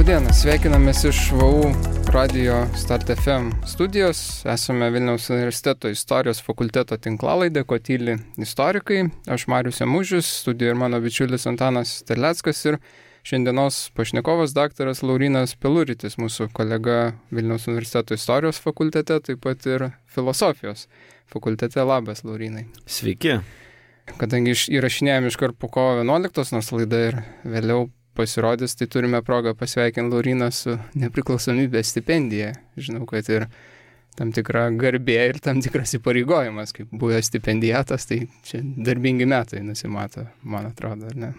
Labadiena, sveikinamės iš VU radio Start FM studijos. Esame Vilniaus universiteto istorijos fakulteto tinklalaidė, ko tyli istorikai. Aš Marius Jamužius, studijoje ir mano bičiulis Antanas Terleckas ir šiandienos pašnekovas daktaras Laurynas Peluritis, mūsų kolega Vilniaus universiteto istorijos fakultete, taip pat ir filosofijos fakultete. Labas, Laurynai. Sveiki. Kadangi įrašinėjame iškart po kovo 11, nors laida ir vėliau pasirodys, tai turime progą pasveikinti Lauryną su nepriklausomybės stipendija. Žinau, kad ir tam tikra garbė ir tam tikras įpareigojimas, kaip buvęs stipendijatas, tai čia darbingi metai nusimato, man atrodo, ar ne?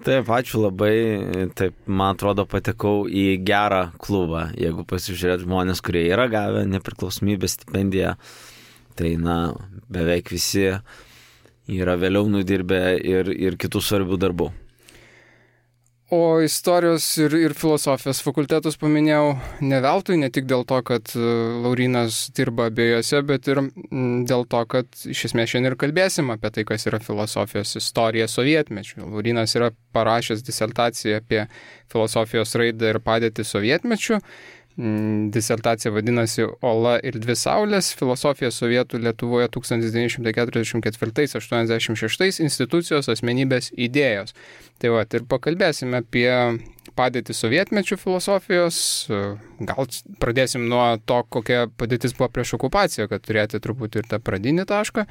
Taip, ačiū labai. Taip, man atrodo, patekau į gerą klubą. Jeigu pasižiūrėt žmonės, kurie yra gavę nepriklausomybės stipendiją, tai, beveik visi yra vėliau nudirbę ir kitų svarbių darbų. O istorijos ir filosofijos fakultetus paminėjau ne veltui, ne tik dėl to, kad Laurynas dirba abiejose, bet ir dėl to, kad iš esmės šiandien ir kalbėsim apie tai, kas yra filosofijos istorija sovietmečiu. Laurynas yra parašęs disertaciją apie filosofijos raidą ir padėtį sovietmečiu. Disertacija vadinasi Ola ir dvi saulės, filosofija sovietų Lietuvoje 1944-86 institucijos asmenybės idėjos. Tai va, ir pakalbėsime apie padėtį sovietmečių filosofijos. Gal pradėsim nuo to, kokia padėtis buvo prieš okupaciją, kad turėti truputį ir tą pradinį tašką,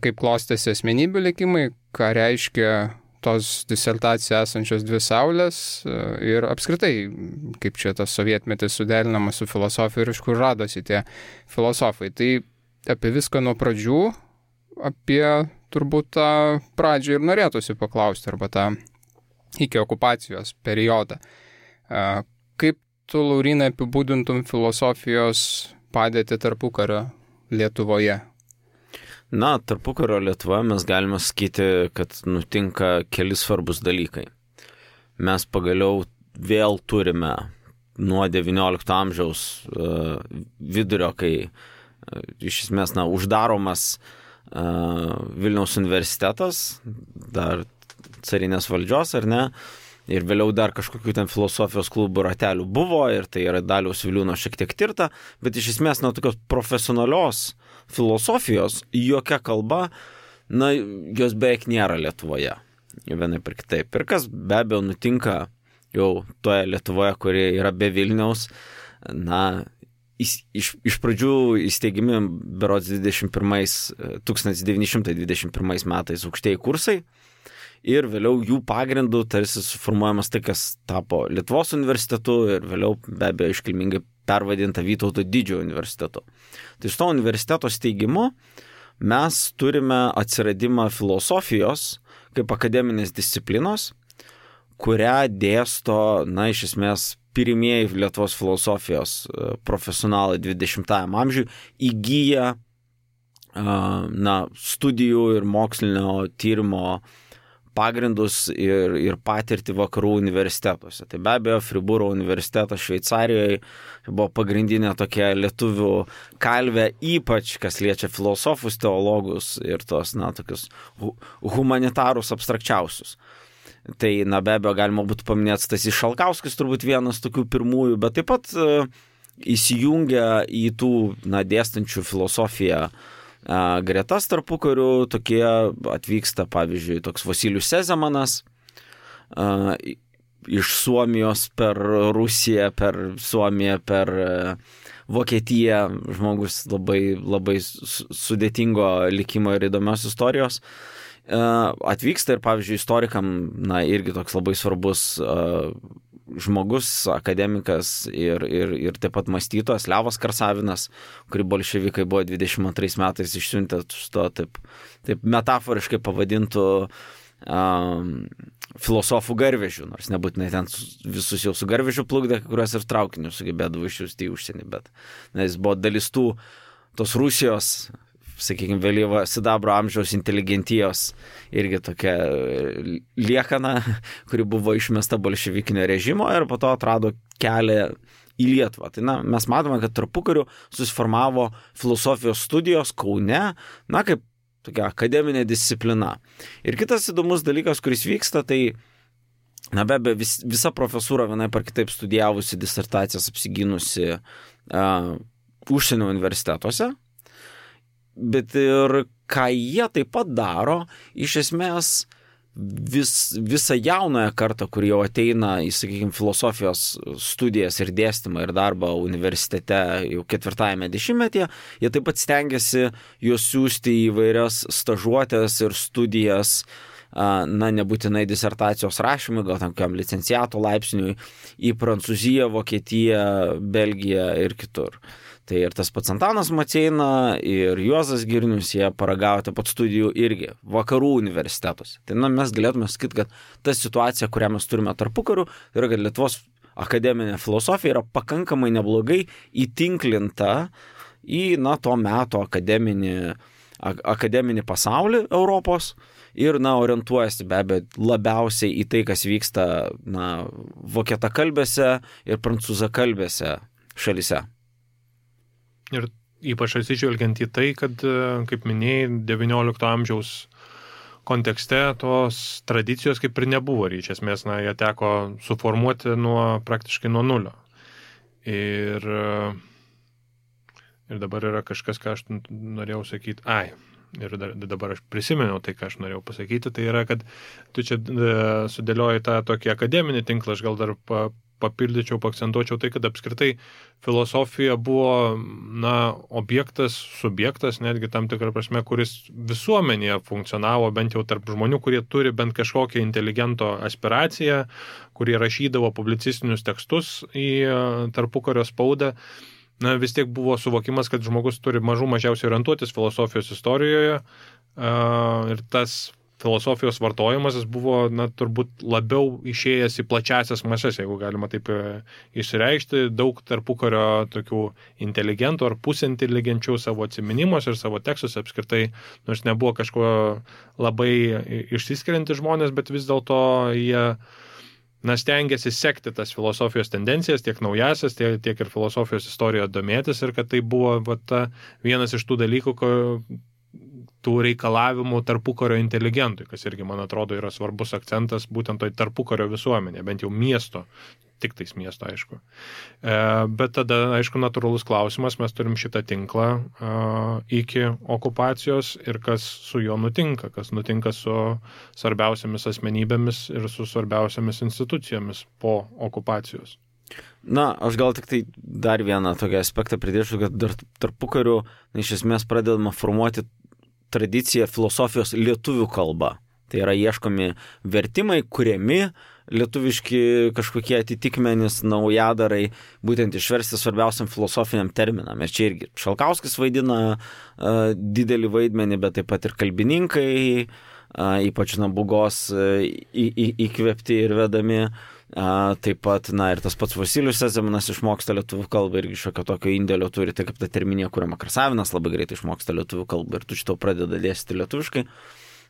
kaip klostėsi asmenybių likimai, ką reiškia tos disertacijoje esančios dvi saulės ir apskritai, kaip čia tas sovietmetis suderinamas su filosofija ir iš kur radosi tie filosofai. Tai apie viską nuo pradžių, apie turbūt tą pradžią ir norėtųsi paklausti, arba tą iki okupacijos periodą. Kaip tu, Laurynai, apibūdintum filosofijos padėtį tarpukario Lietuvoje? Tarpukario Lietuvoje mes galime sakyti, kad nutinka keli svarbus dalykai. Mes pagaliau vėl turime nuo XIX amžiaus vidurio, kai iš esmės uždaromas Vilniaus universitetas, dar carinės valdžios, ar ne, ir vėliau dar kažkokių ten filosofijos klubų ratelių buvo, ir tai yra Daliaus Viliūno šiek tiek tirta, bet iš esmės tokios profesionalios filosofijos jokia kalba, jos beveik nėra Lietuvoje, vienaip ir kitaip. Ir kas be abejo nutinka jau toje Lietuvoje, kuri yra be Vilniaus, iš pradžių įsteigimi berods 1921 metais aukštieji kursai, ir vėliau jų pagrindų tarsi suformuojamas tai, kas tapo Lietuvos universitetu ir vėliau be abejo iškilmingai pervadinta Vytauto Didžiojo universitetu. Tai iš to universiteto steigimo mes turime atsiradimą filosofijos kaip akademinės disciplinos, kurią dėsto, iš esmės, pirmieji Lietuvos filosofijos profesionalai 20-ajam amžiui įgyja studijų ir mokslinio tyrimo pagrindus ir patirtį vakarų universitetuose. Tai be abejo, Fribūro universitetas Šveicarijoje buvo pagrindinė tokia lietuvių kalvė, ypač kas liečia filosofus, teologus ir tos, tokius humanitarus abstrakčiausius. Tai, be abejo, galima būtų paminėti Stasys Šalkauskis, turbūt vienas tokių pirmųjų, bet taip pat įsijungia į tų, dėstančių filosofiją gretas tarpukarių, tokie atvyksta, pavyzdžiui, toks Vasilijus Sezemanas iš Suomijos per Rusiją, per Suomiją, per Vokietiją, žmogus labai sudėtingo likimo ir įdomios istorijos. Atvyksta ir, pavyzdžiui, istorikam, irgi toks labai svarbus žmogus, akademikas ir taip pat mąstytojas Levas Karsavinas, kurį bolševikai buvo 22 metais išsiuntę to taip metaforiškai pavadintų filosofų garvežių, nors nebūtinai ten visus jau su garvežiu plukdė, kuriuos ir traukiniu sugebėdavo išsiųsti į užsienį, bet jis buvo dalis tos Rusijos, sakykime, vėlyvo sidabro amžiaus inteligentijos irgi tokia liekana, kuri buvo išmesta bolševikinio režimo ir po to atrado kelią į Lietuvą. Tai mes matome, kad tarpukariu susiformavo filosofijos studijos Kaune, kaip tokia akademinė disciplina. Ir kitas įdomus dalykas, kuris vyksta, tai Na be abejo, visa profesūra vienaip ar kitaip studijavusi, disertacijas apsigynusi užsienio universitetuose, bet ir ką jie taip pat daro, iš esmės visą jaunąją kartą, kur jau ateina į, sakykime, filosofijos studijas ir dėstymą ir darbą universitete jau 4-ame dešimtmetyje, jie taip pat stengiasi juos siųsti į įvairias stažuotės ir studijas, na, nebūtinai disertacijos rašymui, gal tam kokiam licenciato laipsniui, į Prancūziją, Vokietiją, Belgiją ir kitur. Tai ir tas pats Antanas Maceina ir Juozas Girnius, jie paragavo taip pat studijų irgi vakarų universitetuose. Tai mes galėtume sakyti, kad ta situacija, kurią mes turime tarpukariu, yra, kad Lietuvos akademinė filosofija yra pakankamai neblogai įtinklinta į, to meto akademinį pasaulį Europos ir, orientuojasi be abejo labiausiai į tai, kas vyksta, vokietakalbėse ir prancūzakalbėse šalyse. Ir ypač atsižvelgiant į tai, kad, kaip minėjai, 19 amžiaus kontekste tos tradicijos kaip ir nebuvo. Ir iš esmės, jie teko suformuoti praktiškai nuo nulio. Ir dabar yra kažkas, ką aš norėjau sakyti. Ir dabar aš prisiminiau tai, ką aš norėjau pasakyti. Tai yra, kad tu čia sudėlioji tą tokį akademinį tinklą, aš gal dar papildyčiau, paakcentuočiau tai, kad apskritai filosofija buvo, objektas, subjektas, netgi tam tikrą prasme, kuris visuomenėje funkcionavo, bent jau tarp žmonių, kurie turi bent kažkokią inteligento aspiraciją, kurie rašydavo publicistinius tekstus į tarpukario spaudą. Vis tiek buvo suvokimas, kad žmogus turi mažiausiai orientuotis filosofijos istorijoje ir tas filosofijos vartojimas buvo, turbūt labiau išėjęs į plačiasias mases, jeigu galima taip išsireikšti. Daug tarpukario tokių inteligentų ar pusinteligenčių savo atsiminimuose ir savo tekstuose apskritai, nors nebuvo kažko labai išsiskirianti žmonės, bet vis dėlto jie stengiasi sekti tas filosofijos tendencijas, tiek naujasias, tiek ir filosofijos istorijoje domėtis, ir kad tai buvo vienas iš tų dalykų, tų reikalavimų tarpukario inteligentui, kas irgi, man atrodo, yra svarbus akcentas būtent toj tarpukario visuomenė, bent jau miesto, tik tais miesto, aišku. Bet tada, aišku, natūralus klausimas, mes turim šitą tinklą iki okupacijos ir kas su juo nutinka, kas nutinka su svarbiausiamis asmenybėmis ir su svarbiausiamis institucijomis po okupacijos. Aš gal tik tai dar vieną tokį aspektą pridėčiau, kad dar tarpukariu iš esmės pradedama formuoti tradicija filosofijos lietuvių kalba. Tai yra ieškomi vertimai, kuriami lietuviški kažkokie atitikmenys, naujadarai, būtent išversti svarbiausiam filosofiniam terminam. Ir čia irgi Šalkauskis vaidina didelį vaidmenį, bet taip pat ir kalbininkai, ypač Nabugos įkvėpti ir vedami. Taip pat, ir tas pats Vasilijus Sezemanas išmoksta lietuvių kalbą irgi šiokio tokio indėlio turi, tai kaip ta terminija, kuriama Krasavinas labai greitai išmoksta lietuvių kalbą ir tu šitą pradeda dėstyti lietuviškai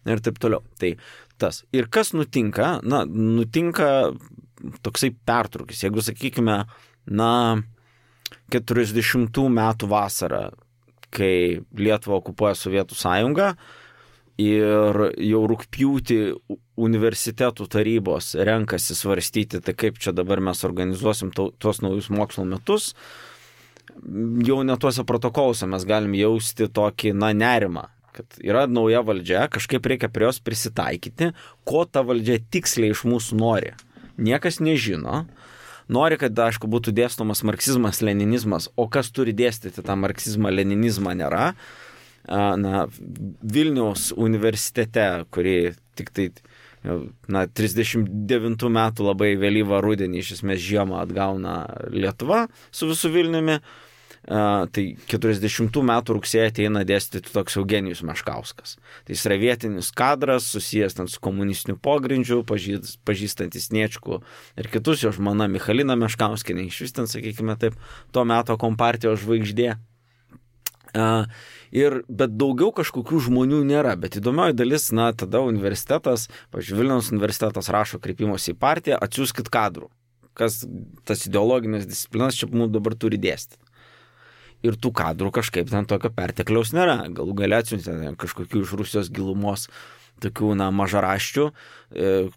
ir taip toliau. Tai tas. Ir kas nutinka? Nutinka toksai pertrūkis. Jeigu, sakykime, 40 metų vasarą, kai Lietuvą okupuoja Sovietų sąjunga, ir jau rugpjūtį universitetų tarybos renkasi svarstyti, tai kaip čia dabar mes organizuosim tuos naujus mokslo metus, jau net tuose protokoluose mes galim jausti tokį, nerimą, kad yra nauja valdžia, kažkaip reikia prie jos prisitaikyti, ko ta valdžia tiksliai iš mūsų nori. Niekas nežino. Nori, kad, aišku, būtų dėstomas marksizmas, leninizmas, o kas turi dėstyti tą marksizmą, leninizmą nėra. Vilniaus universitete, kurį tik tai 39 metų labai vėlyvą rudenį iš esmės žiemą atgauna Lietuva su visu Vilniumi, tai 40 metų rugsėjį ateina dėstyti toks Eugenijus Meškauskas. Tai jis yra vietinis kadras, susijęs su komunistiniu pogrindžiu, pažįstantis Sniečkų ir kitus, jo žmona Michalina Meškauskienė, iš vis ten, sakykime taip, to meto kompartijos žvaigždė. Bet daugiau kažkokių žmonių nėra, bet įdomioji dalis, tada universitetas, pavyzdžiui, Vilniaus universitetas rašo kreipimosi į partiją, atsiųskit kadrų, kas tas ideologinės disciplinas čia mums dabar turi dėstyti. Ir tų kadrų kažkaip ten tokio pertekliaus nėra, galų gale atsiuntė kažkokių iš Rusijos gilumos tokių, mažaraščių,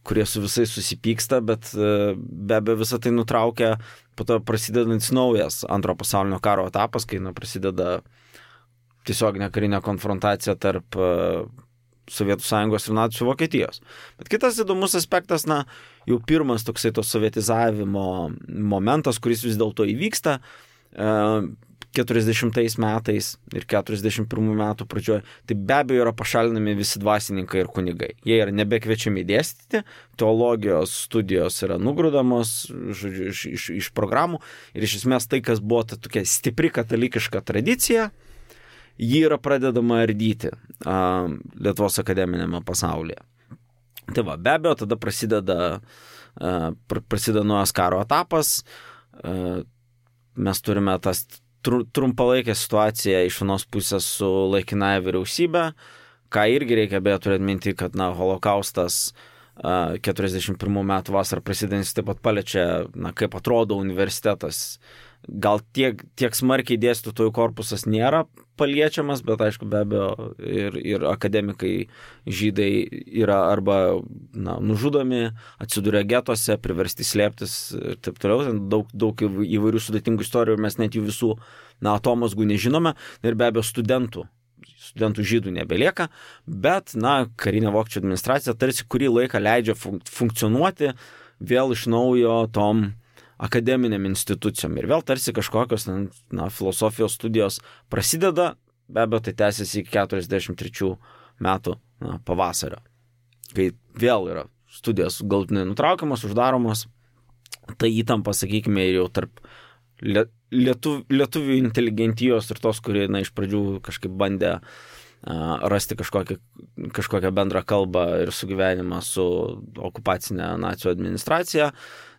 kurie su visais susipyksta, bet be abejo visą tai nutraukia po to prasidedantis naujas Antro pasaulinio karo etapas, kai prasideda tiesioginė karinė konfrontacija tarp Sovietų Sąjungos ir nacių Vokietijos. Bet kitas įdomus aspektas, jau pirmas toksai to sovietizavimo momentas, kuris vis dėlto įvyksta 40 metais ir 41 metų pradžioje, tai be abejo yra pašalinami visi dvasininkai ir kunigai. Jie yra nebekviečiami dėstyti, teologijos studijos yra nugrūdamos, žodžiu, iš programų ir iš esmės tai, kas buvo ta tokia stipri katalikiška tradicija, ji yra pradedama ardyti Lietuvos akademinėme pasaulyje. Tai va, be abejo, tada prasideda naujas karo etapas, mes turime tas trumpalaikę situaciją iš vienos pusės su laikinąja vyriausybė, ką irgi reikia beje turėti minti, kad holokaustas 41 metų vasarą prasidedantis taip pat paliečia, kaip atrodo universitetas. Gal tiek smarkiai dėstytojų korpusas nėra paliečiamas, bet aišku, be abejo, ir akademikai žydai yra arba nužudomi, atsiduria getuose, priversti slėptis ir taip toliau. Daug įvairių sudėtingų istorijų ir mes net jų visų atomazgų nežinome. Ir be abejo, studentų žydų nebelieka, bet karinė vokiečių administracija tarsi kurį laiką leidžia funkcionuoti vėl iš naujo tom akademiniam institucijom. Ir vėl tarsi kažkokios filosofijos studijos prasideda, be abejo, tai tęsiasi iki 43 metų pavasario, kai vėl yra studijos galutinai nutraukiamos, uždaromos, tai įtampa, sakykime, jau tarp lietuvių inteligentijos ir tos, kurie iš pradžių kažkaip bandė rasti kažkokią bendrą kalbą ir sugyvenimą su okupacinė nacių administracija,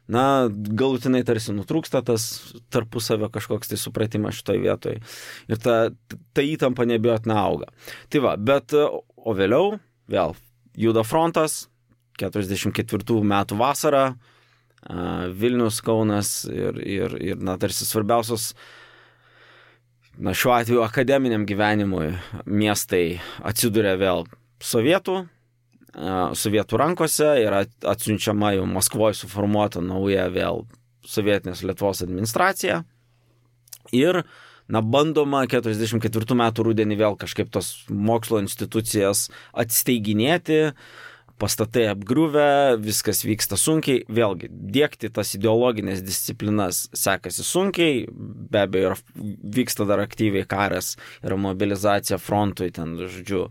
galutinai tarsi nutrūksta tas tarpusavio kažkoks tai supratimas šitoj vietoj. Ir ta įtampa neabejotinai auga. Tai va, bet o vėliau vėl juda frontas, 44 metų vasarą, Vilnius, Kaunas ir tarsi svarbiausios, šiuo atveju akademiniam gyvenimui miestai atsiduria vėl sovietų rankose, yra atsiunčiama jau Maskvoje suformuota nauja vėl sovietinės Lietuvos administracija ir bandoma 44 metų rudenį vėl kažkaip tos mokslo institucijas atsteiginėti, pastatai apgriuvę, viskas vyksta sunkiai, vėlgi diegti tas ideologinės disciplinas sekasi sunkiai, be abejo vyksta dar aktyviai karas, yra mobilizacija frontui, ten, žodžiu,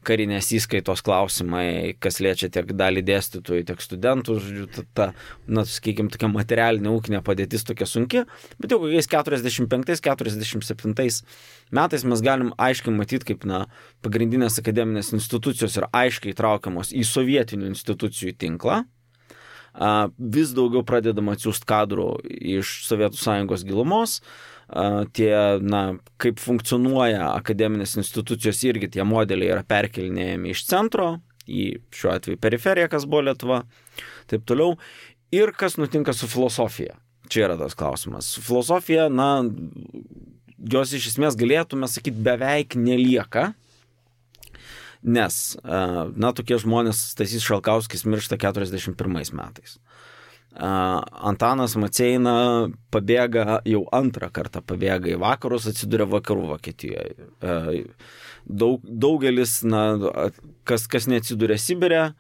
karinės įskaitos klausimai, kas liečia tiek dalį dėstytojų, tiek studentų, žodžiu, sakykime, tokia materialinė ūkinė padėtis tokia sunki, bet jau kokiais 45-47 metais mes galim aiškiai matyti, kaip pagrindinės akademinės institucijos yra aiškiai traukiamos į sovietinių institucijų tinklą, vis daugiau pradedama atsiųsti kadrų iš Sovietų Sąjungos gilumos, kaip funkcionuoja akademinės institucijos irgi tie modeliai yra perkelinėjami iš centro į šiuo atveju periferiją, kas buvo Lietuva, taip toliau. Ir kas nutinka su filosofija? Čia yra tas klausimas. Su filosofija, jos iš esmės galėtume sakyti beveik nelieka, nes, tokie žmonės, Stasys Šalkauskis miršta 41 metais. Antanas Maceina pabėga, jau antrą kartą pabėga į vakarus, atsiduria vakarų Vokietijoje. Daugelis, kas neatsiduria Sibire,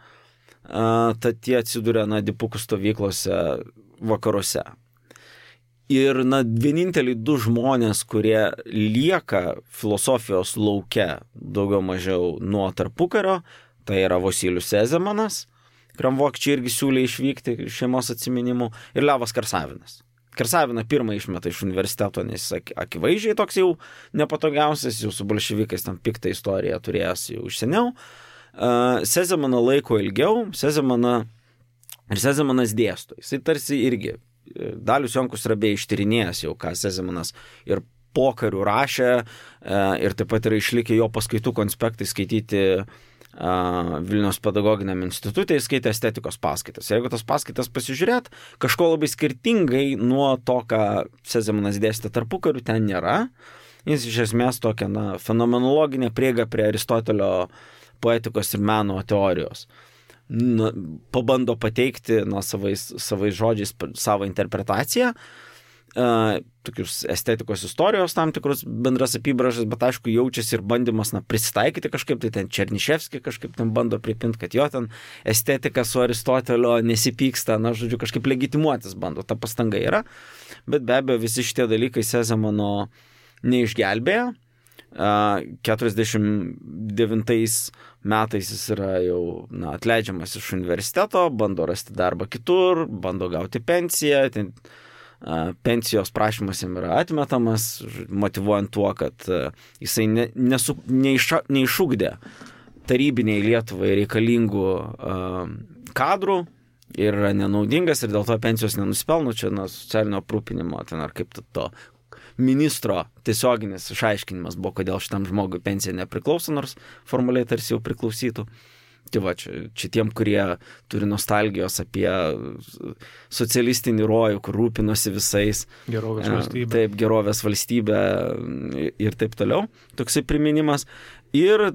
tad tie atsiduria dipukų stovyklose vakaruose. Ir vieninteliai du žmonės, kurie lieka filosofijos lauke daugiau mažiau nuo tarpukario, tai yra Vosylius Sezemanas, kuriam vokiečiai irgi siūlė išvykti šeimos atsiminimų, ir Levas Karsavinas. Karsaviną pirmą išmeta iš universiteto, nes jis akivaizdžiai toks jau nepatogiausias, jau su bolševikais tam piktą istoriją turėjęs jau iš seniau. Sezemaną laiko ilgiau, Sezemanas dėsto. Jisai tarsi irgi, Dalius Jonkus yra beje ištyrinėjęs jau, ką Sezemanas ir pokarių rašė, ir taip pat yra išlikę jo paskaitų konspektai skaityti Vilniaus pedagoginiam institutui, skaitė estetikos paskaitas. Jeigu tas paskaitas pasižiūrėt, kažko labai skirtingai nuo to, ką Sezemanas dėstė tarpukariu, ten nėra. Jis iš esmės tokia fenomenologinė prieiga prie Aristotelio poetikos ir meno teorijos. Pabando pateikti savais žodžiais savo interpretaciją, tokius estetikos istorijos tam tikrus bendras apibrėžas, bet aišku jaučiasi ir bandymas prisitaikyti kažkaip, tai ten Černiševskį kažkaip ten bando pripinti, kad jo ten estetika su Aristotelio nesipyksta, žodžiu, kažkaip legitimuotis bando, ta pastanga yra, bet be abejo visi šitie dalykai Sezemano neišgelbėjo. 49 metais jis yra jau atleidžiamas iš universiteto, bando rasti darbą kitur, bando gauti pensiją, pensijos prašymas jam yra atmetamas, motyvuojant tuo, kad jisai neišugdė tarybiniai Lietuvai reikalingų kadrų ir yra nenaudingas ir dėl to pensijos nenusipelno, čia socialinio aprūpinimo, ar kaip to ministro tiesioginis išaiškinimas buvo, kodėl šitam žmogui pensija nepriklauso, nors formaliai tarsi jau priklausytų. Tai va, čia tiem, kurie turi nostalgijos apie socialistinį rojų, kur rūpinosi visais. Gerovės valstybė. Taip, gerovės valstybė ir taip toliau. Toksai priminimas. Ir,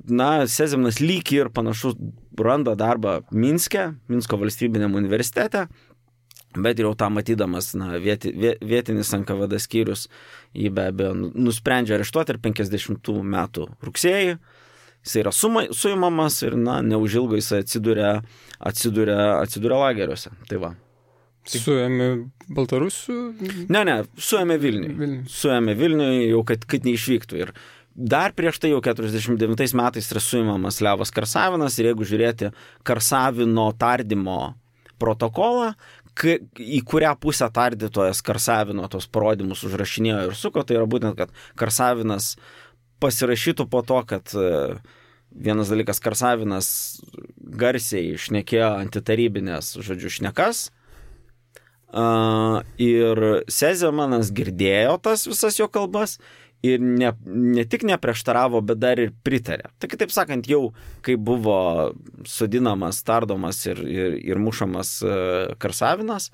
Sezemanas lyg ir panašu randa darbą Minsko valstybiniam universitete, bet jau tą matydamas, vietinis NKVD skyrius jį be abejo nusprendžia areštuoti ir 50 metų rugsėjį. Jis yra suimamas ir, neužilgo jis atsiduria lageriuose. Tai va. Suėmė Baltarusių? Ne, suėmė Vilniui. Suėmė Vilniui jau, kad neišvyktų. Ir dar prieš tai jau 49 metais yra suimamas Levas Karsavinas ir jeigu žiūrėti Karsavino tardymo protokolą, į kurią pusę tardytojas Karsavino tos parodymus užrašinėjo ir suko, tai yra būtent, kad Karsavinas pasirašytų po to, kad vienas dalykas Karsavinas garsiai šnekėjo antitarybinės, šnekas, ir Sezemanas girdėjo tas visas jo kalbas ir ne tik neprieštaravo, bet dar ir pritarė. Tai kitaip sakant, jau kai buvo sodinamas, tardomas ir mušamas Karsavinas,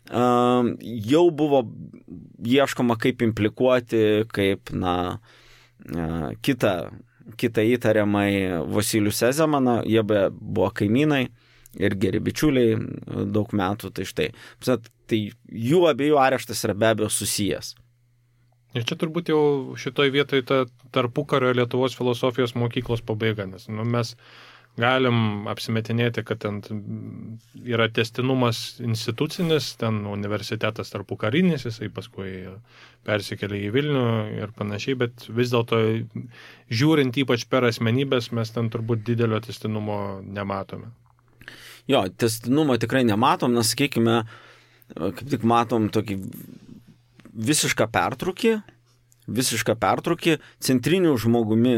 jau buvo ieškoma kaip implikuoti, kaip, kitą įtariamai Vasilijų Sezemaną, jie buvo kaimynai ir geri bičiuliai daug metų, tai štai. Tai jų abiejų areštas yra be abejo susijęs. Ir čia turbūt jau šitoj vietoj ta tarpukario Lietuvos filosofijos mokyklos pabaiga, nes mes galim apsimetinėti, kad ten yra tęstinumas institucinis, ten universitetas tarpukarinis, jisai paskui persikėlė į Vilnių ir panašiai, bet vis dėlto žiūrint ypač per asmenybės, mes ten turbūt didelio tęstinumo nematome. Jo, tęstinumo tikrai nematom, nes sakykime, kaip tik matom tokį visišką pertrūkį centrinių žmogumi,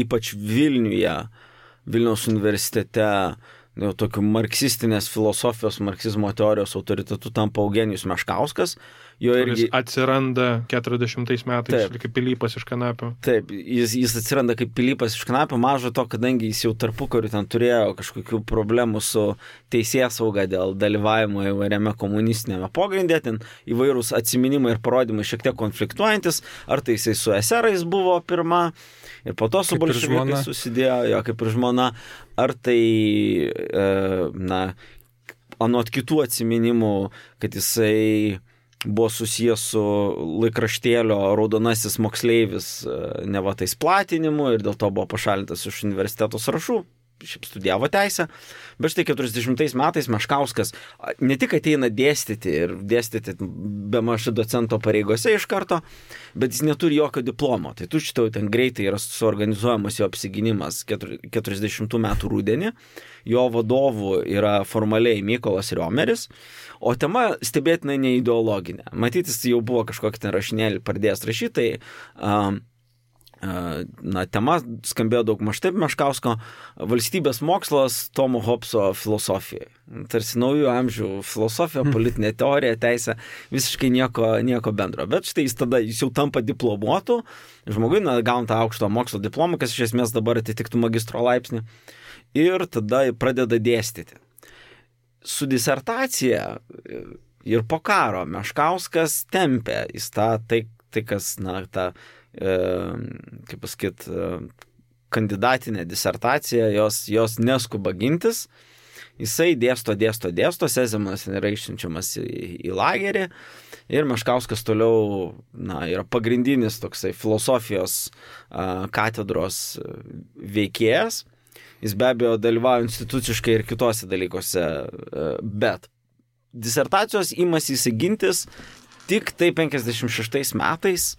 ypač Vilniaus universitete, jau tokiu marksistinės filosofijos, marksizmo teorijos autoritetu tampa Eugenijus Meškauskas. Kuris atsiranda 40 metais kaip Pilypas iš Kanapių. Taip, jis atsiranda kaip Pilypas iš Kanapių, mažo to, kadangi jis jau tarpukariu ten turėjo kažkokių problemų su teisėsauga dėl dalyvavimo įvairiame komunistinėme pogrindė, ten įvairūs atsiminimai ir parodymai šiek tiek konfliktuojantis, ar tai jisai su eserais buvo pirma, ir po to su bolševikais susidėjo, kaip ir žmona, ar tai, anot kitų atsiminimų, kad jisai buvo susijęs su laikraštėlio Raudonasis moksleivis neva tais platinimu ir dėl to buvo pašalintas iš universiteto sąrašų, šiaip studijavo teisę, bet štai 40 metais Meškauskas ne tik ateina dėstyti ir dėstyti be maž docento pareigose iš karto, bet jis neturi jokio diplomo. Tai tu šitau ten greitai yra suorganizuojamas jo apsiginimas 40 metų rudenį, jo vadovų yra formaliai Mykolas Riomeris, o tema stebėtinai neideologinė. Matytis, jau buvo kažkokį ten rašinėlį pradėjęs rašytai, tema skambėjo daug maž taip Meškausko valstybės mokslas Tomo Hobso filosofijai. Tarsi naujų amžių filosofija, politinė teorija, teisė, visiškai nieko bendro. Bet štai jis jau tampa diplomuotu, žmogui gauna tą aukšto mokslo diplomą, kas iš esmės dabar atitiktų magistro laipsnį, ir tada pradeda dėstyti. Su disertacija ir po karo Meškauskas tempė į tai kas, kaip pasakyt, kandidatinę disertaciją, jos neskuba gintis. Jisai dėsto, Sezemanas yra išsiunčiamas į lagerį ir Meškauskas toliau yra pagrindinis toksai filosofijos katedros veikėjas. Jis be abejo dalyvauja instituciškai ir kitose dalykuose, bet disertacijos imasi įsigintis tik tai 56 metais,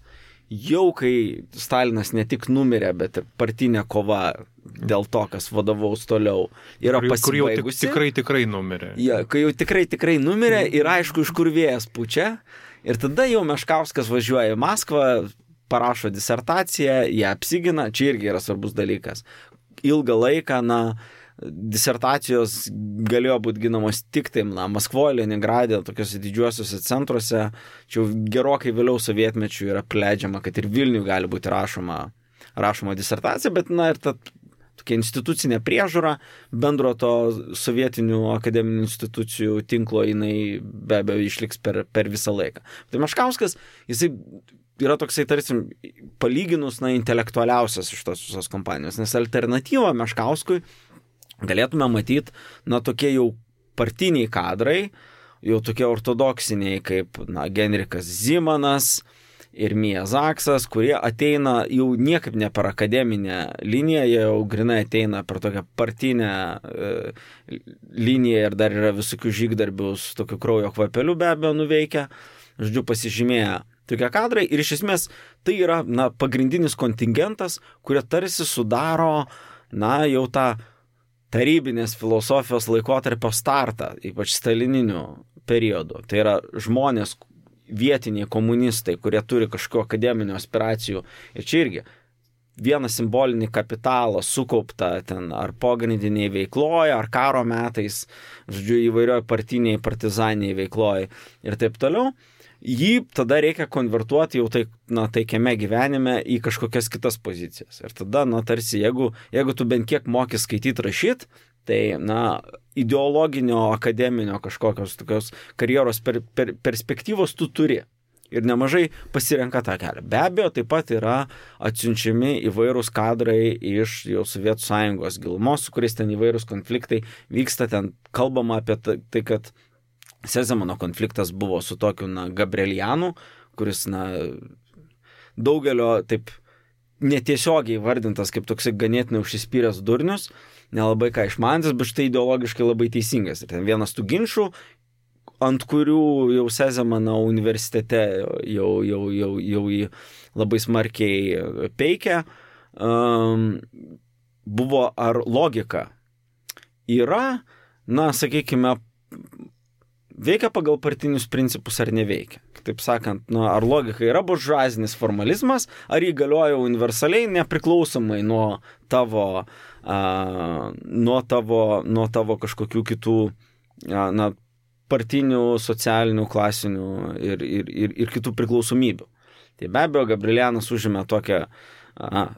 jau kai Stalinas ne tik numirė, bet ir partinė kova dėl to, kas vadovaus toliau, yra pasibaigusi. Kur jau tikrai numirė. Ja, kai jau tikrai numirė ir aišku, iš kur vėjas pučia. Ir tada jau Meškauskas važiuoja į Maskvą, parašo disertaciją, ją apsigina, čia irgi yra svarbus dalykas. Ilgą laiką, disertacijos galėjo būti ginamos tik tai Maskvoje, Leningradė, tokiuose didžiuosiuose centruose. Čia gerokai vėliau sovietmečių yra pleidžiama, kad ir Vilniuje gali būti rašoma disertacija, bet ir ta tokia institucinė priežiūra bendro to sovietinių akademinių institucijų tinklo, jinai be abejo išliks per visą laiką. Tai Meškauskas, jisai yra toksai, tarsi, palyginus intelektualiausias iš tos visos kompanijos, nes alternatyva Meškauskui galėtume matyti, tokie jau partiniai kadrai, jau tokie ortodoksiniai kaip Genrikas Zimanas ir Mija Zaksas, kurie ateina jau niekaip ne per akademinę liniją, jie jau grinai ateina per tokią partinę liniją ir dar yra visokių žygdarbių su tokiu kraujo kvapeliu be abejo nuveikę, žodžiu, pasižymėję tokie kadrai ir iš esmės tai yra pagrindinis kontingentas, kurie tarsi sudaro jau tą tarybinės filosofijos laikotarpio startą, ypač stalininiu periodu. Tai yra žmonės, vietiniai komunistai, kurie turi kažkokių akademinių aspiracijų. Ir čia irgi vieną simbolinį kapitalą sukauptą ten ar pogrindiniai veikloje, ar karo metais, žodžiu, įvairioje partiniai, partizaniai veikloje ir taip toliau. Jį tada reikia konvertuoti jau taikiame gyvenime į kažkokias kitas pozicijas. Ir tada, tarsi, jeigu tu bent kiek moki skaityti, rašyti, tai, ideologinio, akademinio kažkokios tokios karjeros perspektyvos tu turi. Ir nemažai pasirenka tą kelią. Be abejo, taip pat yra atsiunčiami įvairūs kadrai iš jau Sovietų Sąjungos gilumos, su kuriais ten įvairūs konfliktai vyksta, ten kalbama apie tai, kad Sezemano konfliktas buvo su tokiu Gabrielianu, kuris daugelio taip netiesiogiai vardintas kaip toksai ganėtinai užsispyręs durnius, nelabai ką išmantis, bet štai ideologiškai labai teisingas. Ir ten vienas tų ginčių, ant kurių jau Sezemano universitete jau jį labai smarkiai peikia, buvo ar logika yra, sakykime, veikia pagal partinius principus ar neveikia. Taip sakant, ar logika yra buržuazinis formalizmas, ar jį galioja universaliai, nepriklausomai nuo tavo kažkokių kitų partinių, socialinių, klasinių ir kitų priklausomybių. Tai be abejo, Gabrielianas užėmė tokią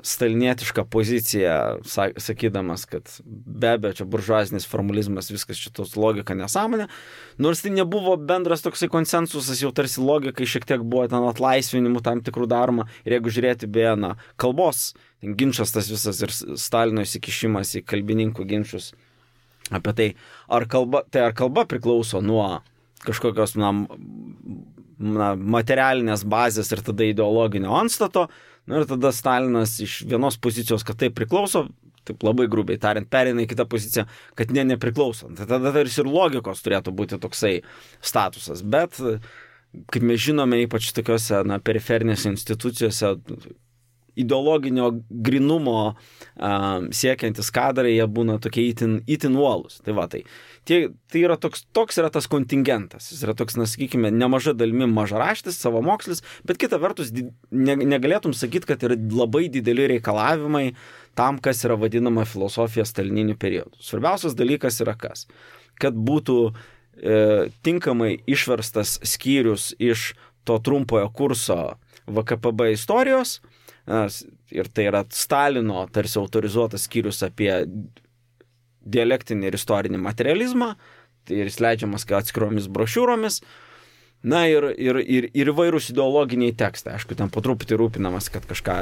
stalinietišką poziciją, sakydamas, kad be abejo, čia buržuazinis formalizmas, viskas šitos logika nesąmonė. Nors tai nebuvo bendras toksai konsensusas, jau tarsi logikai šiek tiek buvo ten atlaisvinimų tam tikrų daroma. Ir jeigu žiūrėti beje, kalbos, ginčas tas visas ir Stalino įsikišimas į kalbininkų ginčius apie tai, ar kalba priklauso nuo kažkokios materialinės bazės ir tada ideologinio antstato. Ir tada Stalinas iš vienos pozicijos, kad tai priklauso, taip labai grubiai tariant, pereina į kitą poziciją, kad nepriklauso. Tai tada ir logikos turėtų būti toksai statusas. Bet, kaip mes žinome, ypač tokiuose periferinėse institucijose, ideologinio grinumo siekiantis kadrai, jie būna tokie itin uolūs. Tai yra toks yra tas kontingentas. Jis yra toks, sakykime, nemaža dalimi mažaraštis, savamokslis, bet kita vertus negalėtum sakyti, kad yra labai dideli reikalavimai tam, kas yra vadinama filosofija stalininiu periodu. Svarbiausias dalykas yra kas? Kad būtų tinkamai išverstas skyrius iš to trumpojo kurso VKPB istorijos, ir tai yra Stalino tarsi autorizuotas skyrius apie dialektinį ir istorinį materializmą, tai ir jis leidžiamas atskiromis brošiūromis, Na ir įvairūs ideologiniai tekstai. Aišku, ten po truputį rūpinamas, kad kažką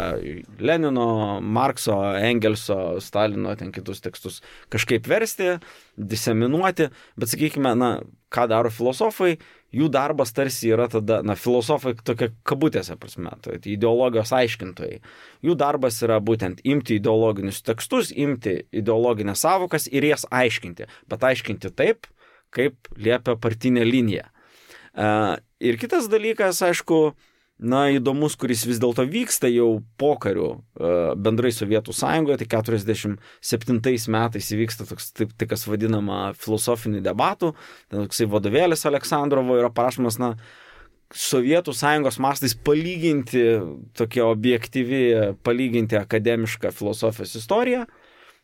Lenino, Markso, Engelso, Stalino, ten kitus tekstus kažkaip versti, diseminuoti. Bet sakykime, ką daro filosofai, jų darbas tarsi yra tada, filosofai tokia kabutėse prasme, tai ideologijos aiškintojai. Jų darbas yra būtent imti ideologinius tekstus, imti ideologinės savokas ir jas aiškinti. Bet aiškinti taip, kaip liepia partinė linija. Ir kitas dalykas, aišku, įdomus, kuris vis dėlto vyksta jau pokariu bendrai Sovietų Sąjungoje, tai 47 metais įvyksta toks, tai kas vadinama filosofinių debatų, toksai vadovėlis Aleksandrovo yra parašomas, Sovietų Sąjungos mastais palyginti tokia objektyvi, palyginti akademišką filosofijos istoriją,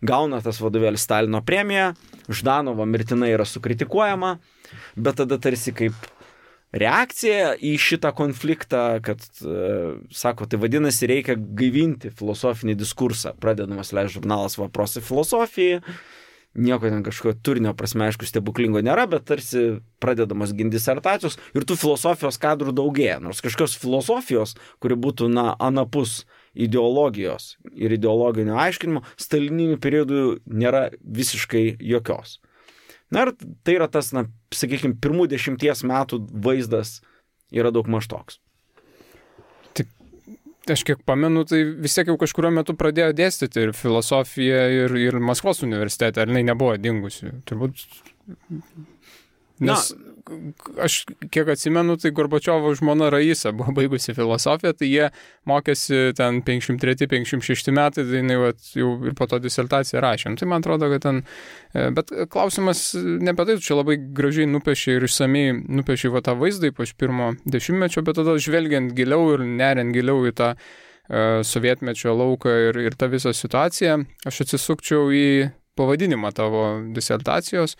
gauna tas vadovėlis Stalino premiją, Ždanovo mirtinai yra sukritikuojama, bet tada tarsi kaip reakcija į šitą konfliktą, kad, sako, tai vadinasi, reikia gaivinti filosofinį diskursą. Pradedamas leis žurnalas Vaprosai filosofijai, nieko ten kažkokio turinio prasme, aišku, stebuklingo nėra, bet tarsi pradedamas ginti disertacijos ir tų filosofijos kadrų daugėja. Nors kažkokios filosofijos, kuri būtų, anapus ideologijos ir ideologinio aiškinimo, stalininių periodų nėra visiškai jokios. Ir tai yra tas, sakykime, pirmų 10 metų vaizdas yra daug maž toks. Tik, aš kiek pamenu, tai vis tiek jau kažkurio metu pradėjo dėstyti ir filosofiją, ir Maskvos universitete, ar jinai nebuvo dingusi. Turbūt... Nes aš kiek atsimenu, tai Gorbačiovo žmona Raisa buvo baigusi filosofiją, tai jie mokėsi ten 53-56 metai, tai jinai jau ir po to disertaciją rašė. Tai man atrodo, kad ten... Bet klausimas ne apie tai, čia labai gražiai nupiešė ir išsamiai nupiešė tą vaizdą, ypač pirmo dešimtmečio, bet tada žvelgiant giliau ir neriant giliau į tą sovietmečio lauką ir tą visą situaciją, aš atsisukčiau į pavadinimą tavo disertacijos,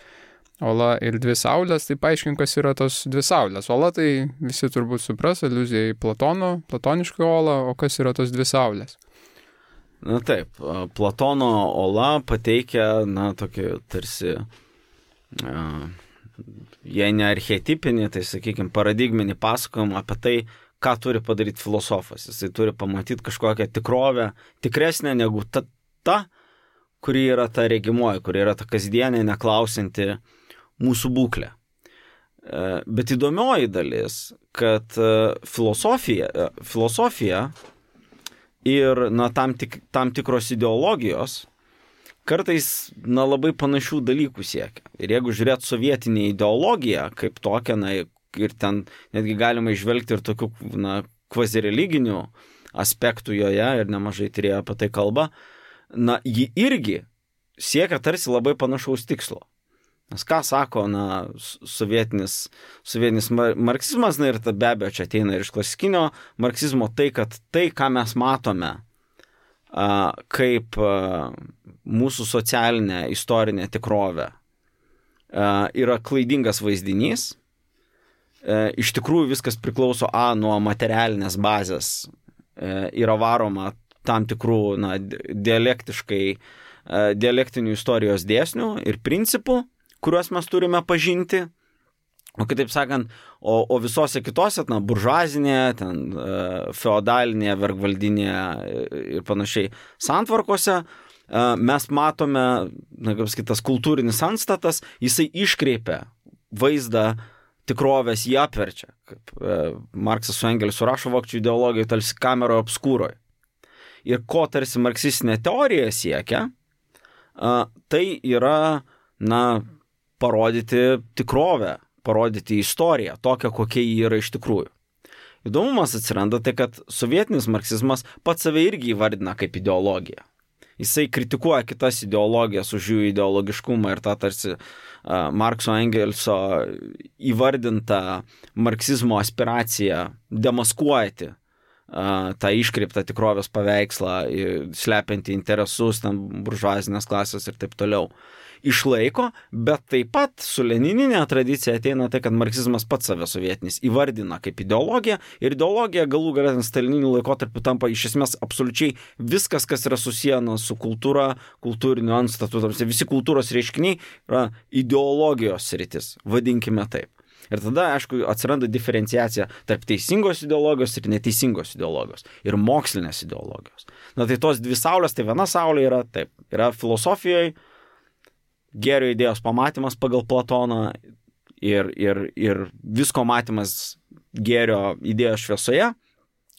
Ola ir dvi saulės, tai paaiškink, kas yra tos dvi saulės. Ola tai visi turbūt supras, aliuzija į platonišką olą, o kas yra tos dvi saulės? Taip, Platono ola pateikia, tokį tarsi, jei ne archetipinį, tai, sakykime, paradigminį pasakojimą apie tai, ką turi padaryti filosofas. Jisai turi pamatyti kažkokią tikrovę, tikresnę negu ta, kuri yra ta regimoji, kuri yra ta kasdienė, neklausinti mūsų būklę. Bet įdomioji dalis, kad filosofija ir tam tikros ideologijos kartais labai panašių dalykų siekia. Ir jeigu žiūrėt sovietinį ideologiją kaip tokią, ir ten netgi galima išvelgti ir tokių kvazireliginių aspektų joje, ir nemažai tyrėjų apie tai kalba, ji irgi siekia tarsi labai panašaus tikslo. Nes ką sako, sovietinis marksizmas, ir be abejo čia ateina ir iš klasikinio marksizmo, tai, kad tai, ką mes matome kaip mūsų socialinė istorinė tikrovė, yra klaidingas vaizdinys. Iš tikrųjų viskas priklauso nuo materialinės bazės, yra varoma tam tikrų dialektinių istorijos dėsnių ir principų, kuriuos mes turime pažinti, o kitaip sakant, o visose kitose, buržuazinėje, feodalinėje, vergvaldinėje ir panašiai santvarkose, mes matome, kaip sakytas, kultūrinis antstatas, jisai iškreipia vaizdą tikrovės, jį apverčia. Kaip Marksas su Engeliu rašo vokiečių ideologijai, tarsi kameroje obskūroje. Ir ko tarsi marksistinė teorija siekia, tai yra, parodyti tikrovę, parodyti istoriją, tokią, kokia ji yra iš tikrųjų. Įdomumas atsiranda tai, kad sovietinis marksizmas pats save irgi įvardina kaip ideologiją. Jisai kritikuoja kitas ideologijas už jų ideologiškumą ir tą tarsi Markso Engelso įvardintą marksizmo aspiraciją demaskuoti tą iškreiptą tikrovės paveikslą, slepiantį interesus, buržuazinės klasės ir taip toliau. Išlaiko, bet taip pat su lenininė tradicija ateina tai, kad marksizmas pats save sovietinis įvardina kaip ideologiją ir ideologija galų gale stalininiu laikotarpiu tampa iš esmės absoliučiai viskas, kas yra susiję su kultūra, kultūriniu antstatu, visi kultūros reiškiniai yra ideologijos sritis, vadinkime taip. Ir tada, aišku, atsiranda diferenciacija tarp teisingos ideologijos ir neteisingos ideologijos. Ir mokslinės ideologijos. Na tai tos dvi saulės, tai viena saulė yra taip. Yra filosofijoje gėrio idėjos pamatymas pagal Platoną ir visko matymas gėrio idėjos šviesoje.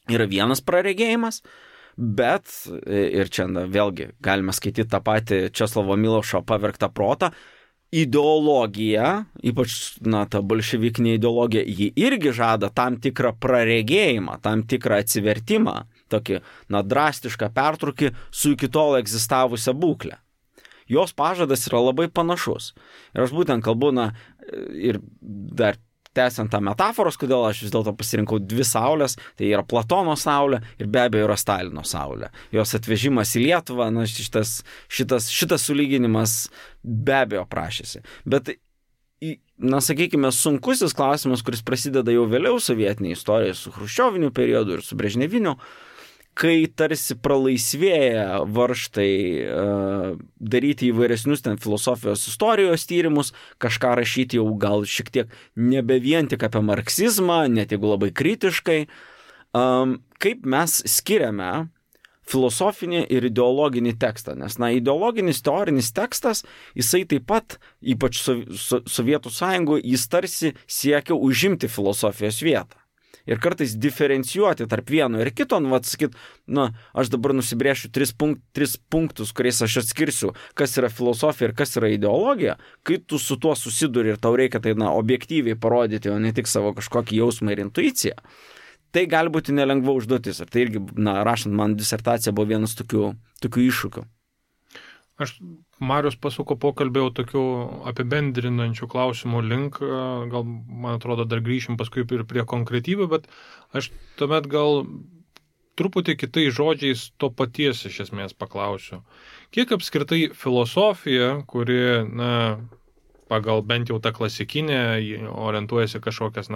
Yra vienas praregėjimas, bet, ir čia vėlgi galime skaityti tą patį Česlovo Milošo Pavergtą protą, ideologija, ypač ta bolševikinė ideologija, ji irgi žada tam tikrą praregėjimą, tam tikrą atsivertimą, tokį drastišką pertrūkį su iki tol egzistavusią būklę. Jos pažadas yra labai panašus. Ir aš būtent kalbu, ir dar tęsiant tą metaforos, kodėl aš vis dėlto pasirinkau dvi saulės, tai yra Platono saulė ir be abejo yra Stalino saulė. Jos atvežimas į Lietuvą, šitas sulyginimas be abejo prašėsi. Bet, sakykime, sunkusis klausimas, kuris prasideda jau vėliau sovietinėje istorijoje su chruščioviniu periodu ir su brežneviniu, kai tarsi pralaisvėja varžtai daryti įvairesnius ten filosofijos istorijos tyrimus, kažką rašyti jau gal šiek tiek nebe vien tik apie marksizmą, net jeigu labai kritiškai, kaip mes skiriame filosofinį ir ideologinį tekstą. Nes, ideologinis teorinis tekstas, jisai taip pat, ypač Sovietų Sąjungoje, jis tarsi siekia užimti filosofijos vietą. Ir kartais diferencijuoti tarp vieno ir kito, aš dabar nusibrėšiu tris punktus, kuriais aš atskirsiu, kas yra filosofija ir kas yra ideologija, kai tu su tuo susiduri ir tau reikia tai objektyviai parodyti, o ne tik savo kažkokį jausmą ir intuiciją. Tai gali būti nelengva užduotis. Ir tai irgi, rašant man disertaciją, buvo vienas tokių iššūkių. Marius pasuko pokalbį jau tokių apibendrinančių klausimų link, gal, man atrodo, dar grįšim paskui ir prie konkretybių, bet aš tuomet gal truputį kitais žodžiais to paties iš esmės paklausiu. Kiek apskritai filosofija, kuri, pagal bent jau tą klasikinę, orientuojasi kažkokias,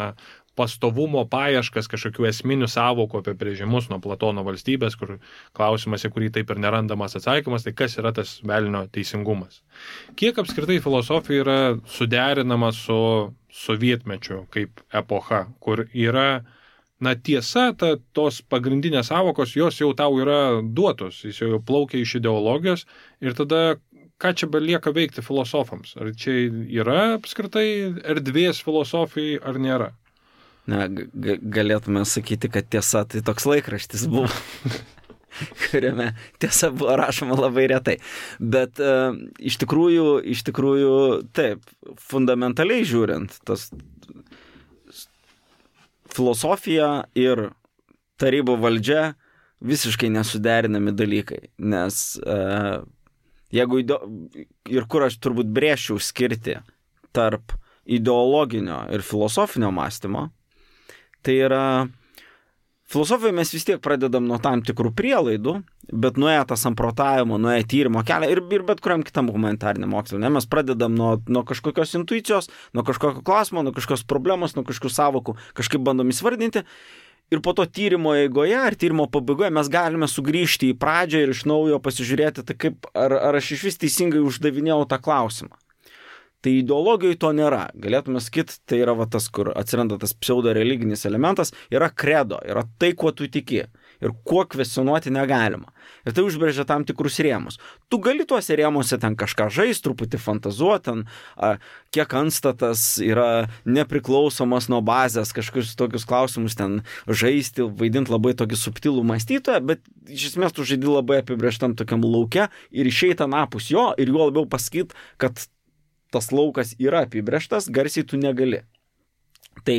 pastovumo paieškas, kažkokių esminių sąvokų apibrėžimus nuo Platono valstybės, kur klausimas, į kurį taip ir nerandamas atsakymas, tai kas yra tas velnio teisingumas. Kiek apskritai filosofija yra suderinama su sovietmečiu kaip epocha, kur yra, tiesa, tos pagrindinės sąvokos, jos jau tau yra duotos, jis jau plaukia iš ideologijos ir tada ką čia belieka veikti filosofams? Ar čia yra apskritai erdvės filosofijai ar nėra? Galėtume sakyti, kad tiesa tai toks laikraštis buvo, kuriame tiesa buvo rašoma labai retai. Bet iš tikrųjų, taip, fundamentaliai žiūrint, tas filosofija ir tarybų valdžia visiškai nesuderinami dalykai, nes jeigu ir kur aš turbūt brėžčiau skirti tarp ideologinio ir filosofinio mąstymo, tai yra, filosofijoje mes vis tiek pradedam nuo tam tikrų prielaidų, bet nuėję tą samprotavimo, nuėję tyrimo kelią ir bet kuriam kitam humanitariniam mokslui. Mes pradedam nuo kažkokios intuicijos, nuo kažkokio klausimo, nuo kažkokios problemos, nuo kažkokių sąvokų, kažkaip bandom įsvardinti. Ir po to tyrimo eigoje ar tyrimo pabaigoje mes galime sugrįžti į pradžią ir iš naujo pasižiūrėti, tai kaip, ar aš iš vis teisingai uždavinėjau tą klausimą. Tai ideologijoje to nėra. Galėtume sakyti, tai yra tas, kur atsiranda tas pseudo-religinis elementas, yra kredo, yra tai, kuo tu tiki ir kuo kvestionuoti negalima. Ir tai užbrėžia tam tikrus rėmus. Tu gali tuose rėmuose ten kažką žaisti, truputį fantazuoti, kiek antstatas yra nepriklausomas nuo bazės, kažkokius tokius klausimus ten žaisti, vaidinti labai tokį subtilų mąstytoją, bet iš esmės tu žaidi labai apibrėžtam tokiam lauke ir išeit anapus jo ir juo labiau pasakyti, kad tas laukas yra apibrėžtas, garsiai tu negali. Tai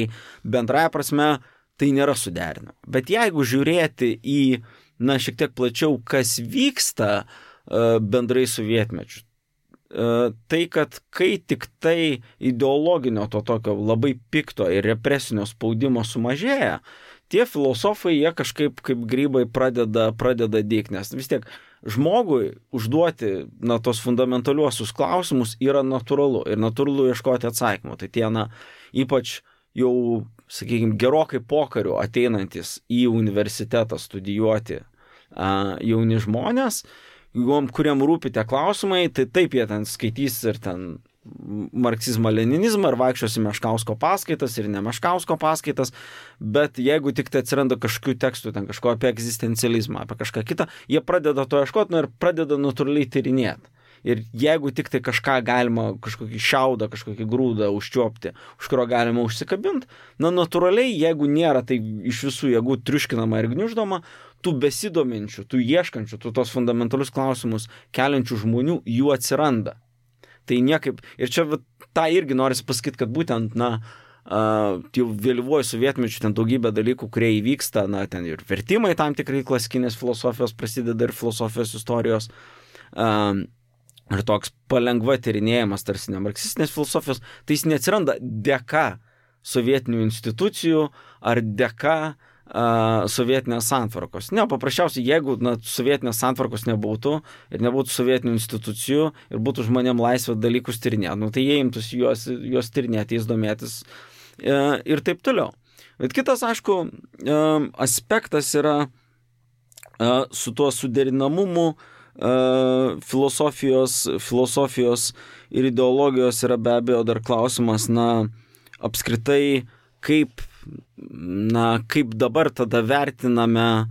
bendraja prasme tai nėra suderinama. Bet jeigu žiūrėti į, šiek tiek plačiau, kas vyksta bendrai sovietmečiu, tai, kad kai tik tai ideologinio to tokio labai pikto ir represinio spaudimo sumažėja, tie filosofai, jie kažkaip kaip grybai pradeda dygti, nes vis tiek žmogui užduoti tos fundamentaliuosius klausimus yra natūralu ir natūralu ieškoti atsakymų. Tai tie, ypač jau, sakykime, gerokai pokariu ateinantis į universitetą studijuoti jauni žmonės, kuriem rūpi tie klausimai, tai taip jie ten skaitys ir ten marksizmą-leninizmą ir vaikščiosi Meškausko paskaitas ir ne Meškausko paskaitas, bet jeigu tik tai atsiranda kažkokių tekstų, ten kažko apie egzistencializmą, apie kažką kitą, jie pradeda to ieškoti ir pradeda natūraliai tyrinėti. Ir jeigu tik tai kažką galima, kažkokį šiaudą, kažkokį grūdą užčiuopti, už kurio galima užsikabinti, natūraliai, jeigu nėra tai iš visų jėgų triuškinama ir gniuždoma, tų besidominčių, tų ieškančių, tų tos fundamentalius klausimus keliančių žmonių, jų atsiranda. Tai niekaip, ir čia tą irgi norisi pasakyti, kad būtent, jau vėlyvuoju sovietmečiu ten daugybė dalykų, kurie įvyksta, ten ir vertimai tam tikrai klasikinės filosofijos prasideda ir filosofijos istorijos, ir toks palengva tyrinėjimas tarsi nemarksistinės filosofijos, tai jis neatsiranda dėka sovietinių institucijų ar dėka sovietinės santvarkos. Ne, paprasčiausiai, jeigu sovietinės santvarkos nebūtų ir nebūtų sovietinių institucijų ir būtų žmonėm laisvė dalykus tyrinėti, tai jie imtųsi juos tyrinėti, jais domėtis ir taip toliau. Bet kitas, aišku, aspektas yra su tuo suderinamumu filosofijos ir ideologijos yra be abejo dar klausimas, apskritai, kaip dabar tada vertiname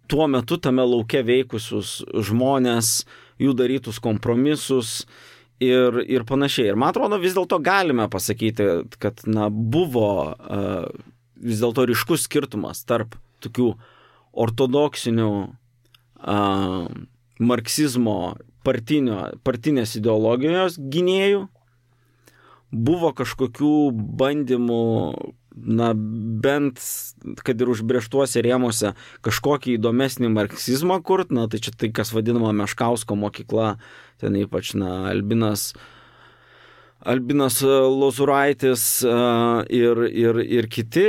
tuo metu tame lauke veikusius žmonės, jų darytus kompromisus ir panašiai. Ir man atrodo, vis dėlto galime pasakyti, kad buvo vis dėlto ryškus skirtumas tarp tokių ortodoksinių marksizmo partinės ideologijos gynėjų, buvo kažkokių bandymų, bent, kad ir užbrėžtuose rėmuose, kažkokį įdomesnį marksizmą kurt, tai čia tai, kas vadinama Meškausko mokykla, ten ypač, Albinas Lozuraitis ir kiti,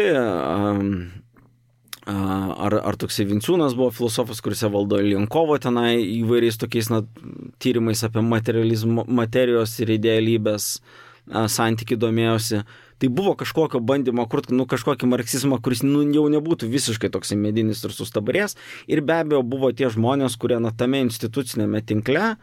ar toksai Vinciūnas buvo filosofas, kuris valdo Lienkovo tenai įvairiais tokiais tyrimais apie materijos ir idealybės santykį domėjosi. Tai buvo kažkokio bandymo kurti kažkokį marksizmą, kuris jau nebūtų visiškai toksai medinis ir sustabarės. Ir be abejo buvo tie žmonės, kurie tame institucinėme tinkle,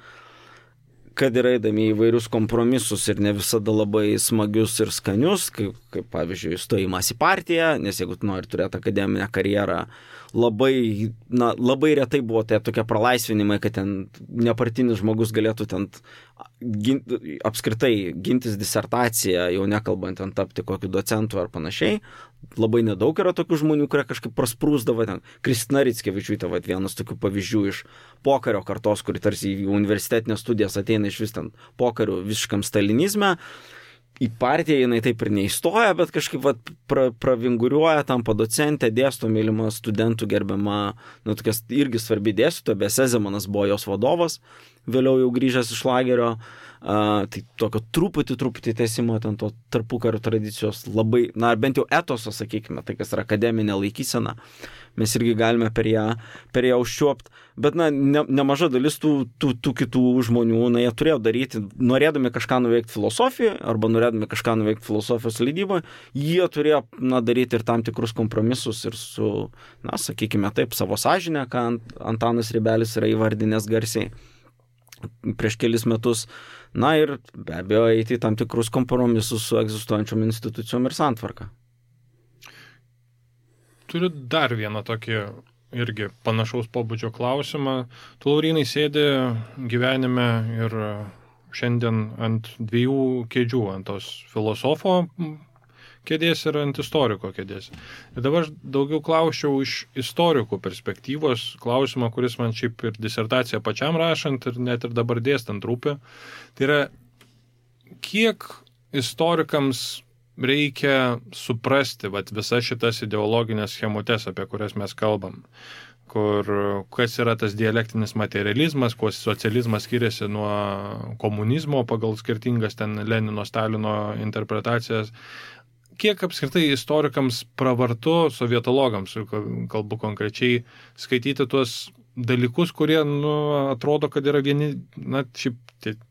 kad yra eidami įvairius kompromisus ir ne visada labai smagius ir skanius, kaip pavyzdžiui, stojimas į partiją, nes jeigu tu nori turėti akademinę karjerą, labai retai buvo tai tokie pralaisvinimai, kad ten nepartinis žmogus galėtų ten apskritai gintis disertaciją, jau nekalbant ten tapti kokiu docentu ar panašiai. Labai nedaug yra tokių žmonių, kurie kažkaip prasprūsdavo ten. Kristina Rickevičiūtė, vienas tokių pavyzdžių iš pokario kartos, kuri tarsi į universitetinės studijas ateina iš vis ten pokario visiškam stalinizme. Į partiją jinai taip ir neįstoja, bet kažkaip pravinguriuoja, tampa docentė, dėsto, mylima studentų gerbiama, tokias irgi svarbi dėstytoja, Besė Zemanas buvo jos vadovas, vėliau jau grįžęs iš lagerio, tai tokio truputį tęsimo ten to tarpukario tradicijos labai, bent jau etoso, sakykime, tai kas yra akademinė laikysena, mes irgi galime per ją užčiuopti, bet nemaža dalis tų kitų žmonių, jie turėjo daryti, norėdami kažką nuveikti filosofijoje, arba norėdami kažką nuveikti filosofijos leidyboje, jie turėjo daryti ir tam tikrus kompromisus ir su, sakykime taip, savo sąžinę, ką Antanas Ribelis yra įvardinęs garsiai prieš kelis metus, ir be abejo eiti tam tikrus kompromisus su egzistuojančiom institucijom ir santvarka. Turiu dar vieną tokį irgi panašaus pobūdžio klausimą. Tu, Laurynai, sėdi gyvenime ir šiandien ant dviejų kėdžių, ant tos filosofo kėdės ir ant istoriko kėdės. Ir dabar daugiau klausčiau iš istorikų perspektyvos klausimą, kuris man šiaip ir disertaciją pačiam rašant ir net ir dabar dėstant rūpi. Tai yra, kiek istorikams reikia suprasti visas šitas ideologinės schemutes, apie kurias mes kalbam, kas yra tas dialektinis materializmas, kuo socializmas skiriasi nuo komunizmo pagal skirtingas ten Lenino, Stalino interpretacijas. Kiek apskritai istorikams pravartu, sovietologams, kalbu konkrečiai, skaityti tuos dalykus, kurie atrodo, kad yra vieni, šiaip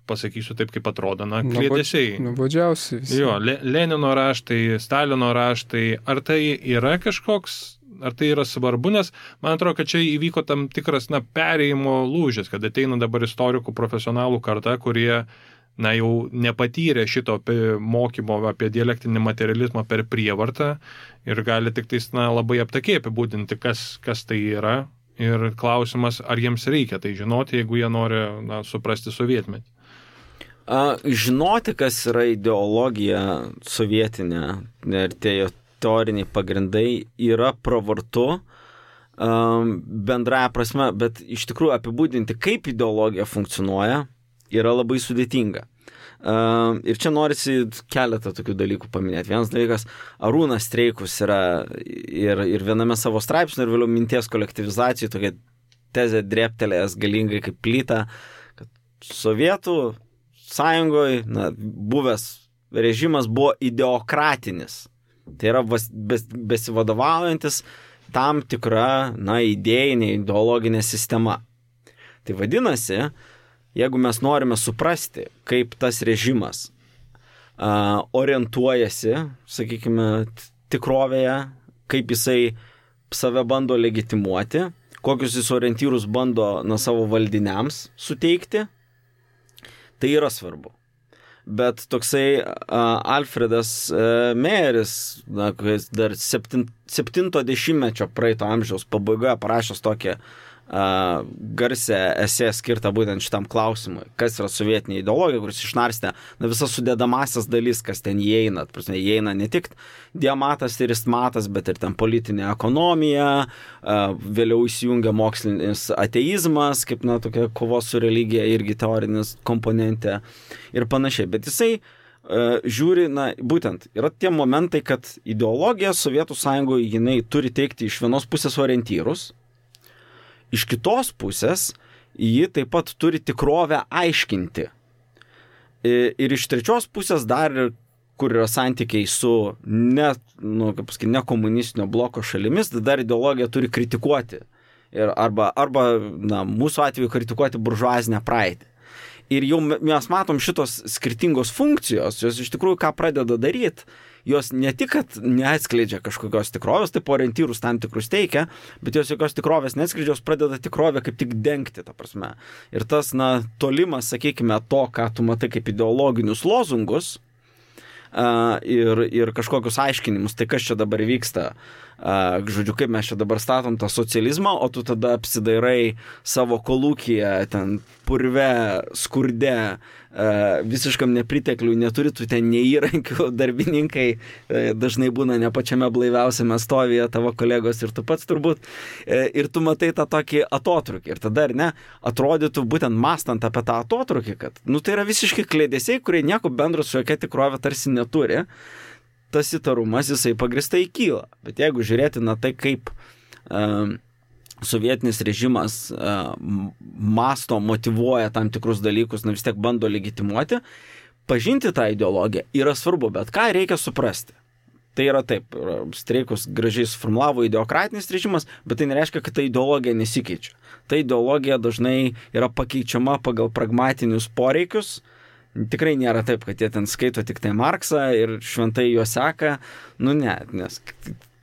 pasakysiu taip, kaip atrodo, kliedesiai. Nuobodžiausi visi. Jo, Lenino raštai, Stalino raštai, ar tai yra kažkoks, ar tai yra svarbu, nes man atrodo, kad čia įvyko tam tikras perėjimo lūžis, kad ateina dabar istorikų profesionalų karta, kurie jau nepatyrė šito mokymo apie dialektinį materializmą per prievartą ir gali tik tais, labai aptakiai apibūdinti, kas tai yra. Ir klausimas, ar jiems reikia tai žinoti, jeigu jie nori suprasti sovietmetį. Žinoti, kas yra ideologija sovietinė ir tie teoriniai pagrindai yra pravartu bendraja prasme, bet iš tikrųjų apibūdinti, kaip ideologija funkcionuoja, yra labai sudėtinga. Ir čia norisi keletą tokių dalykų paminėti. Vienas dalykas, Arūnas Streikus yra ir viename savo straipsnio ir vėliau minties kolektyvizacijų tokia tezė drėptelėjęs galingai kaip plyta, kad Sovietų sąjungoje buvęs režimas buvo ideokratinis. Tai yra besivadovaujantis tam tikra idėjinė, ideologinė sistema. Tai vadinasi, jeigu mes norime suprasti, kaip tas režimas orientuojasi, sakykime, tikrovėje, kaip jisai save bando legitimuoti, kokius jis orientyrus bando savo valdiniams suteikti, tai yra svarbu. Bet toksai Alfredas Meyeris, kuris dar 70-mečio praeito amžiaus pabaigoje parašęs tokią garsę esė skirtą būtent šitam klausimui, kas yra sovietinė ideologija, kuris išnarstė visas sudedamasias dalis, kas ten įeina. Įeina ne tik diamatas ir istmatas, bet ir ten politinė ekonomija, vėliau įsijungia mokslinis ateizmas, kaip tokia kovos su religija irgi teorinis komponentė ir panašiai. Bet jisai žiūri, būtent yra tie momentai, kad ideologija Sovietų sąjungoje jinai turi teikti iš vienos pusės orientyrus, iš kitos pusės ji taip pat turi tikrovę aiškinti. Ir iš trečios pusės dar, kur yra santykiai su ne komunistinio bloko šalimis, dar ideologija turi kritikuoti. Arba mūsų atveju kritikuoti buržuazinę praeitį. Ir jau mes matom šitos skirtingos funkcijos, jos iš tikrųjų ką pradeda daryti, jos ne tik, kad neatskleidžia kažkokios tikrovės, taip orientyrus tam tikrus teikia, bet jos jokios tikrovės neatskleidžia, jos pradeda tikrovę kaip tik dengti, ta prasme. Ir tas, tolimas, sakykime, to, ką tu matai kaip ideologinius lozungus ir kažkokius aiškinimus, tai kas čia dabar vyksta, žodžiu, kaip mes čia dabar statom tą socializmą, o tu tada apsidairai savo kolūkyje, ten purve, skurde, visiškam nepritekliui, neturi tu ten neįrankių, darbininkai dažnai būna ne pačiame blaiviausiame stovyje, tavo kolegos ir tu pats turbūt, ir tu matai tą tokį atotrukį. Ir tada, atrodytų būtent mąstant apie tą atotrukį, kad, tai yra visiškai klėdesiai, kurie nieko bendro su jokia tikrovė tarsi neturi, tas įtarumas jisai pagristai kyla. Bet jeigu žiūrėti tai, kaip sovietinis režimas masto, motyvuoja tam tikrus dalykus, vis tiek bando legitimuoti, pažinti tą ideologiją yra svarbu, bet ką reikia suprasti. Tai yra taip, Streikus gražiai suformulavo ideokratinis režimas, bet tai nereiškia, kad ta ideologija nesikeičia. Ta ideologija dažnai yra pakeičiama pagal pragmatinius poreikius. Tikrai nėra taip, kad jie ten skaito tik tai Marksą ir šventai jo seka. Ne, nes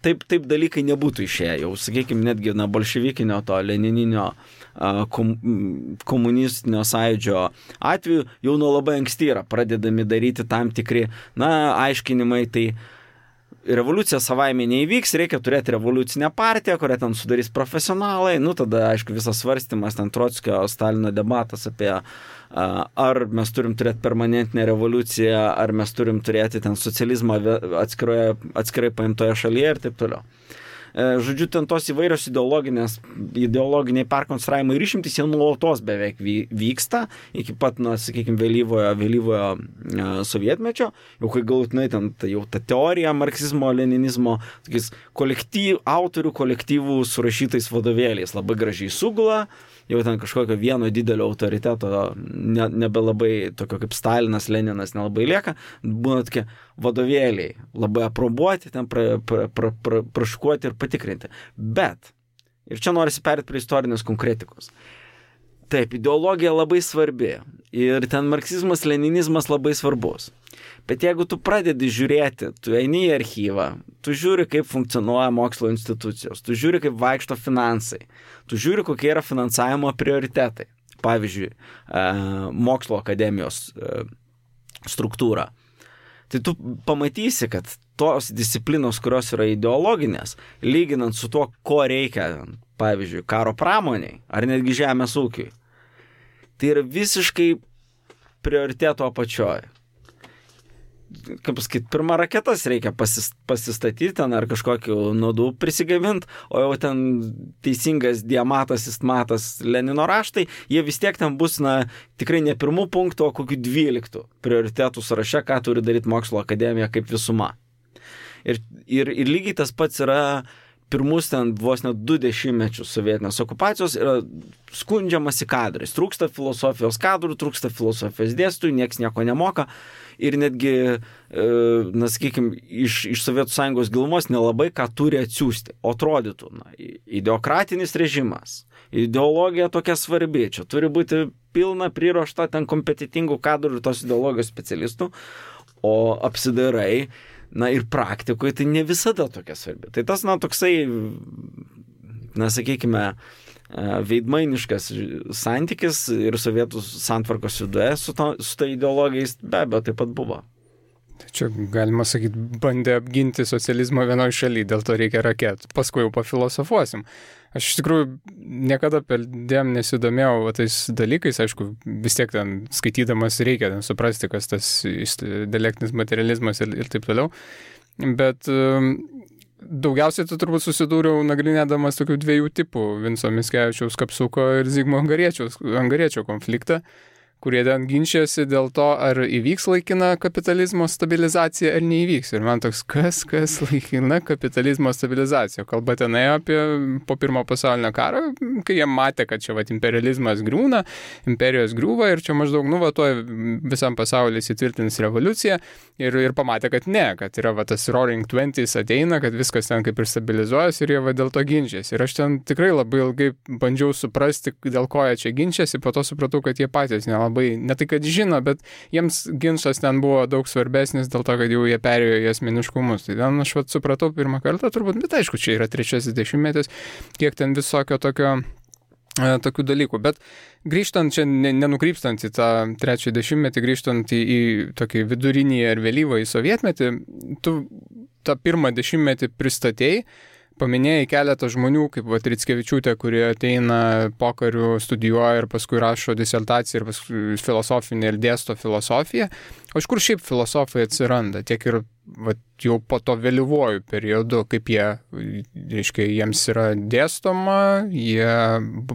taip dalykai nebūtų išėję. Jau, sakykime, netgi bolševikinio to lenininio komunistinio sąjūdžio atveju jau nuo labai anksti yra pradedami daryti tam tikri, aiškinimai, tai revoliucija savaime neįvyks, reikia turėti revoliucinę partiją, kurią ten sudarys profesionalai, tada, aišku, visas svarstymas, ten Trockio, Stalino debatas apie ar mes turim turėti permanentinę revoliuciją, ar mes turim turėti ten socializmą atskirai paimtoje šalyje ir taip toliau. Žodžiu, ten tos įvairios ideologiniai perkonstravimai ir išimtys, jie nuolatos beveik vyksta, iki pat, sakykime, vėlyvojo sovietmečio, jau kai galutinai ten jau ta teorija marksizmo, leninizmo, tokiais autorių kolektyvų surašytais vadovėliais labai gražiai sugula, jau ten kažkokio vieno didelio autoriteto nebelabai, tokio kaip Stalinas, Leninas nelabai lieka, būna tokie vadovėliai, labai aprobuoti, ten praškuoti ir patikrinti. Bet, ir čia norisi perėti prie istorinės konkretikos. Taip, ideologija labai svarbi ir ten marksizmas, leninizmas labai svarbus. Bet jeigu tu pradedi žiūrėti, tu eini į archyvą, tu žiūri, kaip funkcionuoja mokslo institucijos, tu žiūri, kaip vaikšto finansai, tu žiūri, kokie yra finansavimo prioritetai. Pavyzdžiui, mokslo akademijos struktūrą. Tai tu pamatysi, kad tos disciplinos, kurios yra ideologinės, lyginant su tuo, ko reikia, pavyzdžiui, karo pramoniai ar netgi žemės ūkiui, tai yra visiškai prioriteto apačioje. Kaip pasakyti, pirmą raketas reikia pasistatyti ten ar kažkokiu nuodų prisigamint, o jau ten teisingas diamatas, istmatas, Lenino raštai, jie vis tiek ten bus, tikrai ne pirmų punktų, o kokių 12 prioritetų sąraše, ką turi daryti mokslo akademija kaip visuma. Ir lygiai tas pats yra pirmus ten vos net 20 mečius sovietinės okupacijos yra skundžiamasi kadrais. Trūksta filosofijos kadrų, trūksta filosofijos dėstytojų, nieks nieko nemoka. Ir netgi, sakykime, iš Sovietų Sąjungos gilumos nelabai ką turi atsiųsti. O atrodytų, ideokratinis režimas, ideologija tokia svarbi, čia turi būti pilna priruošta ten kompetitingų kadrų ir tos ideologijos specialistų, o apsidairai, ir praktikoje tai ne visada tokia svarbi. Tai tas, toksai, sakykime, veidmainiškas santykis ir Sovietų santvarkos viduje su ta ideologijais be abejo taip pat buvo. Čia, galima sakyti, bandė apginti socializmą vienoje šalyje, dėl to reikia raketų. Paskui jau pafilosofuosim. Aš iš tikrųjų niekada perdėm nesidomėjau tais dalykais, aišku, vis tiek ten skaitydamas reikia ten suprasti, kas tas dialektinis materializmas ir taip toliau. Bet daugiausiai tu turbūt susidūriau nagrinėdamas tokių 2 tipų Vinco Mickevičiaus Kapsuko ir Zigmo Angariečio konfliktą, kurie ten ginčiasi dėl to, ar įvyks laikina kapitalizmo stabilizacija ar neįvyks. Ir man toks, kas laikina kapitalizmo stabilizacija. Kalba ten apie po pirmo pasaulinio karo, kai jie matė, kad čia imperializmas griūna, imperijos griūva ir čia maždaug tuoj visam pasaulyje įsitvirtins revoliucija ir pamatė, kad ne, kad yra tas Roaring Twenties ateina, kad viskas ten kaip ir stabilizuojas ir jie dėl to ginčiasi. Ir aš ten tikrai labai ilgai bandžiau suprasti, dėl ko jie čia ginčiasi, po to supratau, kad jie patys ne tai, kad žino, bet jiems ginčas ten buvo daug svarbesnis dėl to, kad jau jie perėjo į asmeniškumus. Tai ten aš supratau pirmą kartą turbūt, bet aišku, čia yra 3 dešimtmetis, kiek ten visokio tokių dalykų. Bet grįžtant čia, nenukrypstant į tą 3 dešimtmetį, grįžtant į tokį vidurinį ar vėlyvą į sovietmetį, tu tą 1 dešimtmetį pristatėjai, paminėjai keletą žmonių, kaip Rickevičiūtė, kurie ateina pokariu, studijuoja ir paskui rašo disertaciją ir paskui filosofinį ir dėsto filosofiją. O iš kur šiaip filosofai atsiranda? Tiek ir jau po to vėlyvuoju periodu, kaip jiems yra dėstoma, jie,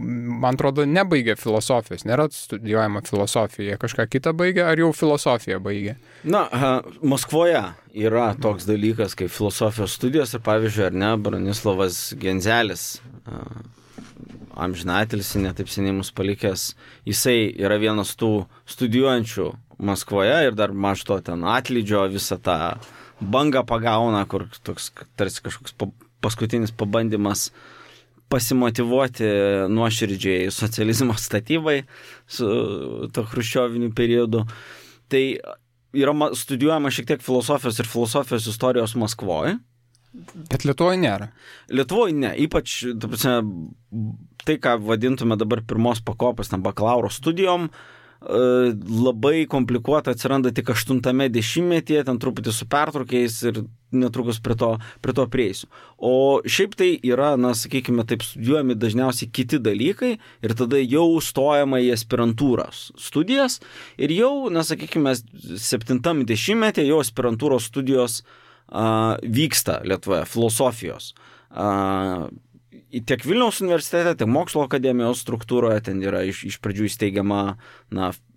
man atrodo, nebaigia filosofijos, nėra studijuojama filosofija, kažką kitą baigia, ar jau filosofiją baigia? Maskvoje yra toks dalykas kaip filosofijos studijos ir pavyzdžiui, Bronislavas Genzelis, amžinatilsį, netaip seniai mus palikęs, jisai yra vienas tų studijuojančių Maskvoje ir dar maž to ten atlydžio visą tą bangą pagauna, kur toks tarsi kažkoks paskutinis pabandymas pasimotyvuoti nuoširdžiai socializmo statybai su to chruščioviniu periodu. Tai yra studijuojama šiek tiek filosofijos ir filosofijos istorijos Maskvoje. Bet Lietuvoje nėra. Lietuvoje ne, ypač tai, ką vadintume dabar pirmos pakopos bakalauro studijom, labai komplikuota atsiranda tik 8 dešimtmetyje, ten truputį su pertraukiais ir netrukus prie to prieisiu. O šiaip tai yra, sakykime, taip studijuojami dažniausiai kiti dalykai ir tada jau stojama į aspirantūros studijas ir jau, sakykime, 7 dešimtmetyje jau aspirantūros studijos vyksta Lietuvoje, filosofijos. Tiek Vilniaus universitete, tiek mokslo akademijos struktūroje ten yra iš pradžių įsteigiama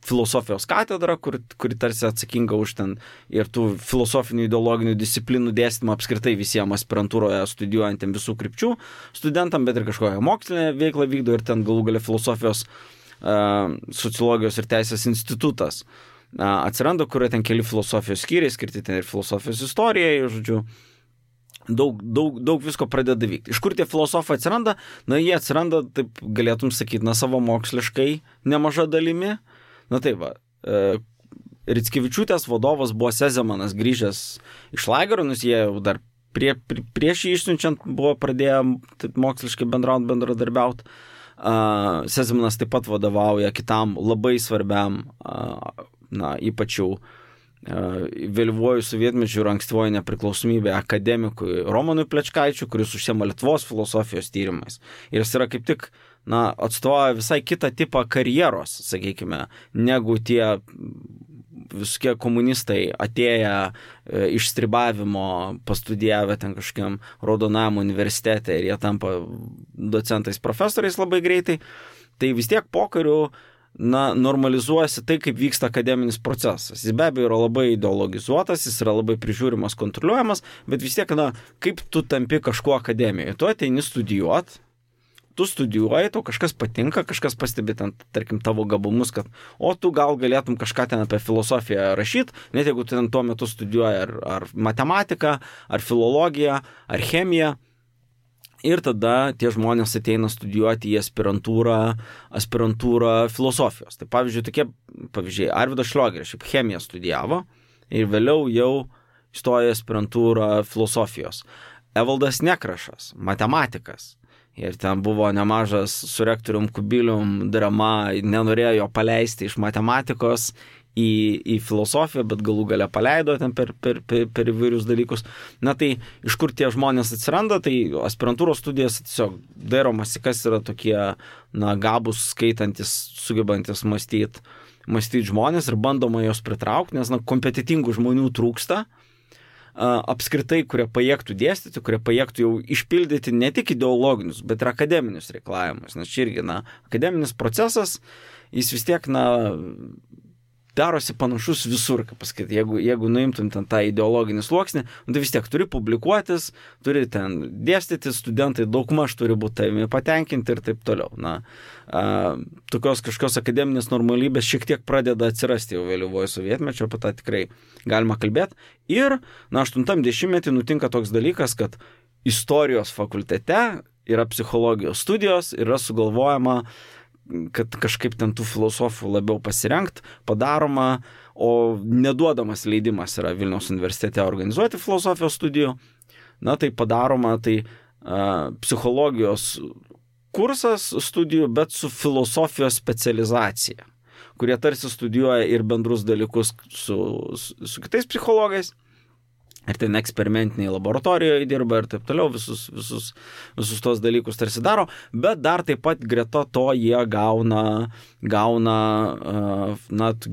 filosofijos katedra, kuri tarsi atsakinga už ten ir tų filosofinių ideologinių disciplinų dėstymą apskritai visiems aspirantūroje studijuojantiem visų krypčių studentam, bet ir kažkokią mokslinę veiklą vykdo ir ten galų gale filosofijos, sociologijos ir teisės institutas atsiranda, kurio ten keli filosofijos skyriai skirti ten ir filosofijos istorijai, žodžiu. Daug visko pradeda vykti. Iš kur tie filosofai atsiranda? Jie atsiranda, taip galėtum sakyti, savo moksliškai nemaža dalimi. Taip va, Rickevičiūtės vadovas buvo Sezemanas, grįžęs iš lagerio, nes jie jau dar prieš jį išsiunčiant buvo pradėję moksliškai bendradarbiauti. Sezemanas taip pat vadovauja kitam labai svarbiam, ypač jau vėlyvuoju sovietmečiu ir ankstyvoji nepriklausomybė akademikui Romanui Plečkaičiui, kuris užsiema Lietuvos filosofijos tyrimais. Ir jis yra kaip tik, atstovauja visai kitą tipą karjeros, sakykime, negu tie visokie komunistai atėję iš stribavimo, pastudijavę ten kažkokiam Raudonajam universitete ir jie tampa docentais, profesoriais labai greitai. Tai vis tiek pokariu normalizuojasi tai, kaip vyksta akademinis procesas. Jis be abejo yra labai ideologizuotas, jis yra labai prižiūrimas, kontroliuojamas, bet vis tiek, kaip tu tampi kažkuo akademijoje. Tu ateini studijuot, tu studijuoji, tau kažkas patinka, kažkas pastebi ten, tarkim, tavo gabumus, kad tu gal galėtum kažką ten apie filosofiją rašyti, net jeigu tu ten tuo metu studijuoji ar matematiką, ar filologiją, ar chemiją. Ir tada tie žmonės ateina studijuoti į aspirantūrą filosofijos. Tai pavyzdžiui, Arvydas Šliogeris šiaip chemiją studijavo ir vėliau jau įstojo į aspirantūrą filosofijos. Evaldas Nekrašas, matematikas. Ir ten buvo nemažas su rektorium Kubilium drama, nenorėjo jo paleisti iš matematikos į filosofiją, bet galų gale paleido ten per įvairius dalykus. Tai iš kur tie žmonės atsiranda, tai aspirantūros studijas tiesiog dairomasi, kas yra tokie, gabūs, skaitantis, sugebantis mąstyti žmonės ir bandoma jos pritraukti, nes kompetitingų žmonių trūksta. Apskritai, kurie pajėgtų dėstyti, kurie pajėgtų jau išpildyti ne tik ideologinius, bet ir akademinius reikalavimus. Nes čia irgi, akademinis procesas, jis vis tiek, darosi panašus visur, kaip pasakyti, jeigu nuimtum ten tą ideologinį sluoksnį, tai vis tiek turi publikuotis, turi ten dėstyti, studentai daugmaž turi būti tavimi patenkinti ir taip toliau. Tokios kažkokios akademinės normalybės šiek tiek pradeda atsirasti jau vėlyvojo sovietmečio, apie tą tikrai galima kalbėti. Ir, 80-metį nutinka toks dalykas, kad istorijos fakultete yra psichologijos studijos, yra sugalvojama, kad kažkaip ten tų filosofų labiau pasirengt, padaroma, o neduodamas leidimas yra Vilniaus universitete organizuoti filosofijos studijų, tai padaroma psichologijos kursas studijų, bet su filosofijos specializacija, kurie tarsi studijuoja ir bendrus dalykus su kitais psichologais, ir ten eksperimentiniai laboratorijoje dirba ir taip toliau, visus tos dalykus tarsi daro, bet dar taip pat greta to jie gauna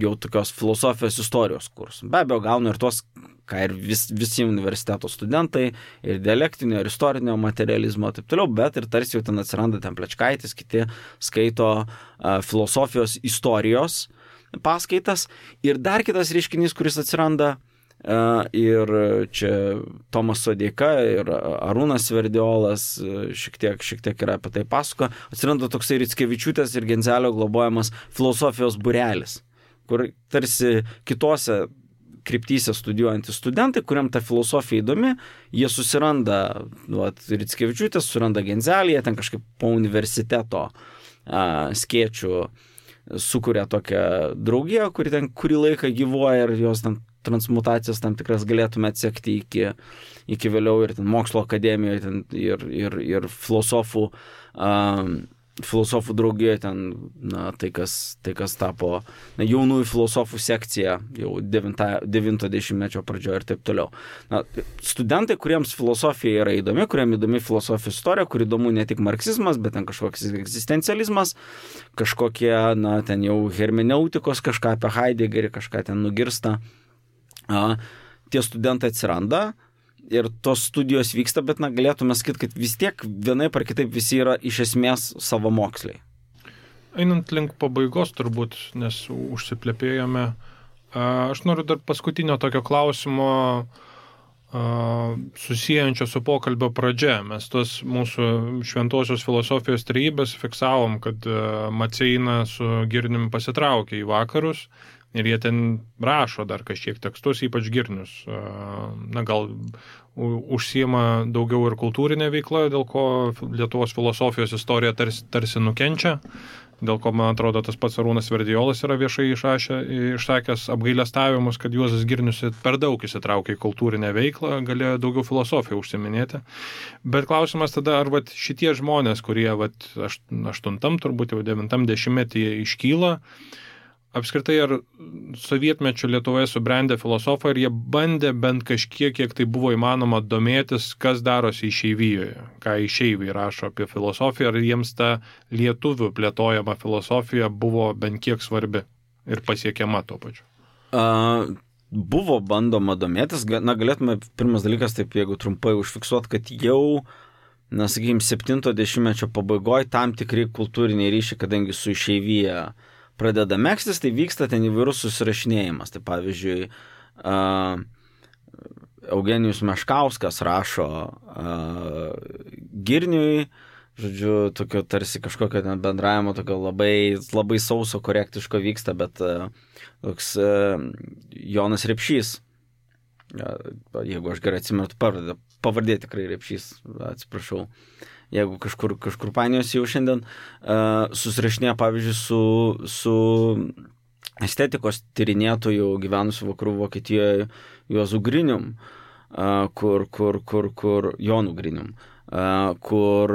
jau tokios filosofijos istorijos kursų. Be abejo, gauna ir tos, ką ir visi universiteto studentai, ir dialektinio, ir istorinio materializmo, taip toliau, bet ir tarsi jau ten atsiranda ten Plečkaitis, kiti skaito filosofijos istorijos paskaitas. Ir dar kitas reiškinys, kuris atsiranda, ir čia Tomas Sodeika ir Arūnas Sverdiolas šiek tiek yra apie tai pasako, atsiranda toksai Rickevičiūtės ir Genzelio globojamas filosofijos būrelis, kur tarsi kitose kryptyse studijuojantys studentai, kuriam ta filosofija įdomi, jie susiranda Rickevičiūtės, suranda Genzelį, jie ten kažkaip po universiteto skėčių sukuria tokią draugiją, kuri ten kurį laiką gyvuoja ir jos ten transmutacijas tam tikras galėtume atsekti iki vėliau ir ten mokslo akademijoje ten ir filosofų draugijoje ten, tai kas tapo jaunųjų filosofų sekcija jau 90-mečio pradžioje ir taip toliau. Studentai, kuriems filosofija yra įdomi, kuriems įdomi filosofijos istorija, kur įdomu ne tik marksizmas, bet ten kažkoks egzistencializmas, kažkokie, ten jau hermeneutikos, kažką apie Heideggerį, kažką ten nugirsta. Tie studentai atsiranda ir tos studijos vyksta, bet galėtume sakyti, kad vis tiek vienaip ar kitaip visi yra iš esmės savamoksliai. Einant link pabaigos turbūt, nes užsiplepėjome, aš noriu dar paskutinio tokio klausimo susiejančio su pokalbio pradžia. Mes tos mūsų šventosios filosofijos trejybės fiksavom, kad Maceina su Girniumi pasitraukė į vakarus. Ir jie ten rašo dar kažkiek tekstus, ypač Girnius. Gal užsiima daugiau ir kultūrinė veikla, dėl ko Lietuvos filosofijos istorija tarsi nukenčia, dėl ko, man atrodo, tas pats Arūnas Sverdiolas yra viešai išsakęs apgailestavimus, kad Juozas Girnius per daug įsitraukė į kultūrinę veiklą, galėjo daugiau filosofiją užsiminėti. Bet klausimas tada, ar šitie žmonės, kurie 8, turbūt jau 9 dešimtmetyje iškyla, apskritai ar sovietmečių Lietuvoje subrendę filosofai, ir jie bandė bent kažkiek, kiek tai buvo įmanoma domėtis, kas darosi išeivijoje, ką išeiviai rašo apie filosofiją, ar jiems ta lietuvių plėtojama filosofija buvo bent kiek svarbi ir pasiekiama tuo pačiu? Buvo bandoma domėtis, galėtume pirmas dalykas, taip jeigu trumpai užfiksuoti, kad jau, sakykime, 70-mečio pabaigoje tam tikri kultūriniai ryšiai, kadangi su išeivija pradeda megztis, tai vyksta ten įvairus susirašinėjimas. Tai pavyzdžiui, Eugenijus Meškauskas rašo Girniui, žodžiu, tokio tarsi kažkokio bendravimo, tokio labai sauso, korektiško vyksta, bet toks Jonas Repšys, jeigu aš gerai atsimenu pavardė tikrai Repšys, atsiprašau, jeigu kažkur painiojasi jau šiandien, susirašinėja, pavyzdžiui, su estetikos tyrinėtojų gyvenusių vakarų Vokietijoje Juozu Grinium, Jonu Grinium, kur,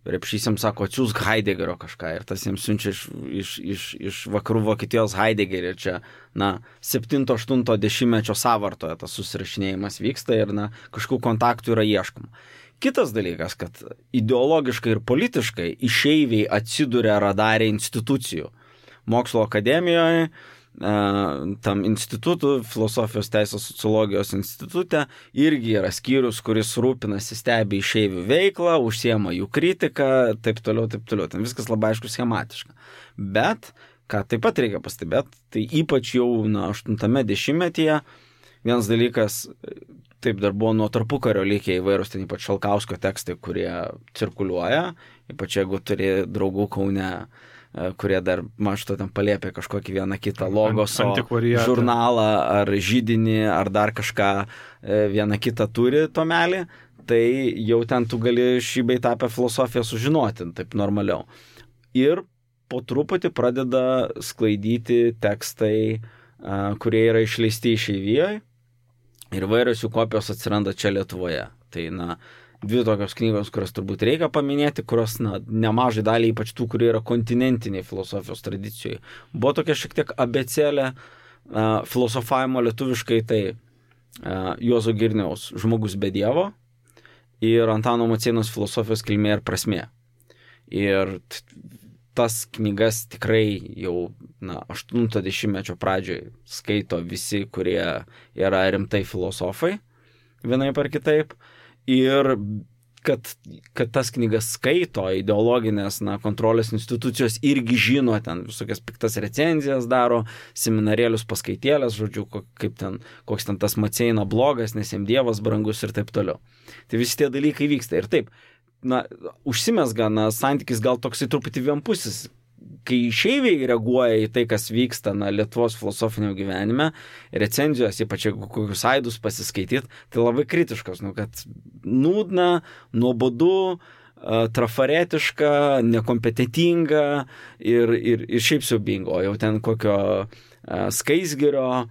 Repšys jiems sako, atsiųsk Heideggerio kažką, ir tas jiems siunčia iš vakarų Vokietijos Heideggerį, ir čia, 7-8 sąvartoje tas susirašinėjimas vyksta ir, kažkokių kontaktų yra ieškoma. Kitas dalykas, kad ideologiškai ir politiškai išeiviai atsiduria radare institucijų. Mokslo akademijoje, tam institutų, filosofijos teisės sociologijos institute, irgi yra skyrius, kuris rūpinasi, stebi išeivių veiklą, užsiema jų kritiką, taip toliau. Ten viskas labai aišku schematiška. Bet, ką taip pat reikia pastebėti, tai ypač jau 80-metyje vienas dalykas, taip dar buvo nuo tarpukario likę įvairūs, ten ypač Šalkauskio tekstai, kurie cirkuliuoja, ypač jeigu turi draugų Kaune, kurie dar mažto ten paliepia kažkokį vieną kitą logoso žurnalą ar židinį ar dar kažką vieną kitą turi tomelį, tai jau ten tu gali šį bei tą apie filosofiją sužinoti, taip normaliau. Ir po truputį pradeda sklaidyti tekstai, kurie yra išleisti išeivijoje, ir vairios jų kopijos atsiranda čia Lietuvoje. Tai, dvi tokios knygos, kurias turbūt reikia paminėti, kurios, nemažai dalį, ypač tų, kurie yra kontinentiniai filosofijos tradicijoje. Buvo tokia šiek tiek abėcėlė filosofavimo lietuviškai, tai Juozo Girniaus Žmogus be Dievo ir Antano Maceinos Filosofijos kilmė ir prasmė. Ir tas knygas tikrai jau 80-mečio pradžioje skaito visi, kurie yra rimtai filosofai, vienaip ar kitaip. Ir kad tas knygas skaito ideologinės kontrolės institucijos irgi žino, ten visokias piktas recenzijas daro, seminarėlius paskaitėlės, žodžiu, koks ten tas Maceina blogas, nes jam Dievas brangus ir taip toliau. Tai visi tie dalykai vyksta. Ir taip, užsimesga santykis gal toksai truputį vienpusis, kai išeiviai reaguoja į tai, kas vyksta Lietuvos filosofinio gyvenime, recenzijos, ypač jeigu kokius aidus pasiskaityti, tai labai kritiškos, kad nūdna, nuobodu, trafaretiška, nekompetentinga ir šiaip siaubinga. O jau ten kokio Skaisgirio,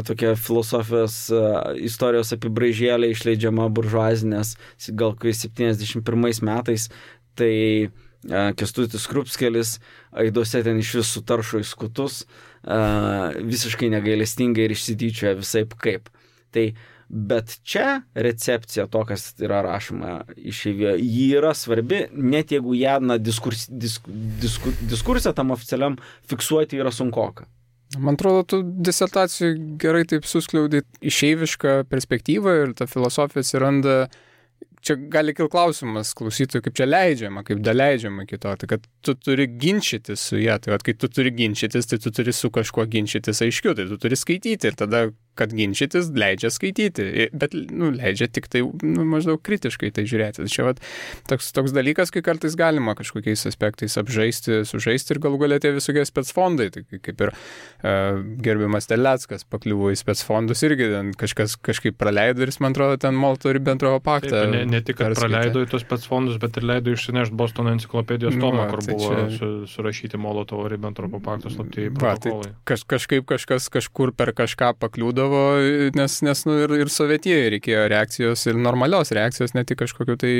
tokia filosofijos istorijos apibraižėlė išleidžiama buržuazinės, gal kai 71 metais, tai Kęstutis Krupskelis aiduose ten iš vis sutaršo į skutus, visiškai negailestingai ir išsityčioja visaip kaip. Tai, bet čia recepcija to, kas yra rašoma išeivijoje, ji yra svarbi, net jeigu ją diskursą tam oficialiam fiksuoti yra sunkoka. Man atrodo, tu disertacijų gerai taip suskliaudai išeivišką perspektyvą ir ta filosofija atsiranda. Čia gali kilti klausimas klausytojų, kaip čia leidžiama, kaip daleidžiama kito, tai kad tu turi ginčytis su ją, tai kai tu turi ginčytis, tai tu turi su kažkuo ginčytis aiškiau, tai tu turi skaityti ir tada, kad ginčytis, leidžia skaityti, bet leidžia tik tai maždaug kritiškai tai žiūrėti. Čia toks dalykas, kai kartais galima kažkokiais aspektais sužaisti ir galų galia tie visokie specfondai, tai kaip ir gerbiamas Terleckas pakliuvo į specfondus irgi kažkaip praleido ir jis, man atrodo, ten Molotovo-Ribentropo paktą. Taip, ne tik, kad praleido į tos specfondus, bet ir leido išsinešti Bostono enciklopedijos tomą, kur buvo surašyti Molotovo-Ribentropo pakto slaptieji protokolai. Tai kažkaip kažkas kažkur per kažką pakliūdavo būdavo, nes ir Sovietijoje reikėjo reakcijos ir normalios reakcijos, ne tik kažkokiu tai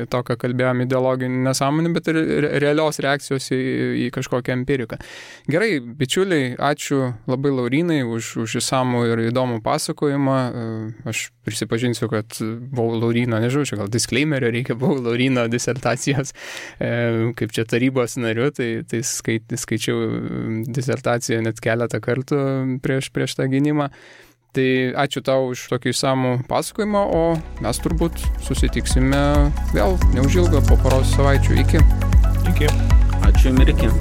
to, ką kalbėjom ideologinį nesąmonį, bet ir realios reakcijos į kažkokią empiriką. Gerai, bičiuliai, ačiū labai Laurynai už išsamų ir įdomų pasakojimą. Aš prisipažinsiu, kad buvau Lauryno, nežinau, čia gal disclaimerio reikia, buvau Lauryno disertacijos, kaip čia tarybos nariu, tai skaičiau disertaciją net keletą kartų prieš tą gynimą. Tai ačiū tau už tokį išsamų pasakojimą, o mes turbūt susitiksime vėl neužilgo po poros savaičių. Iki. Iki. Ačiū ir iki.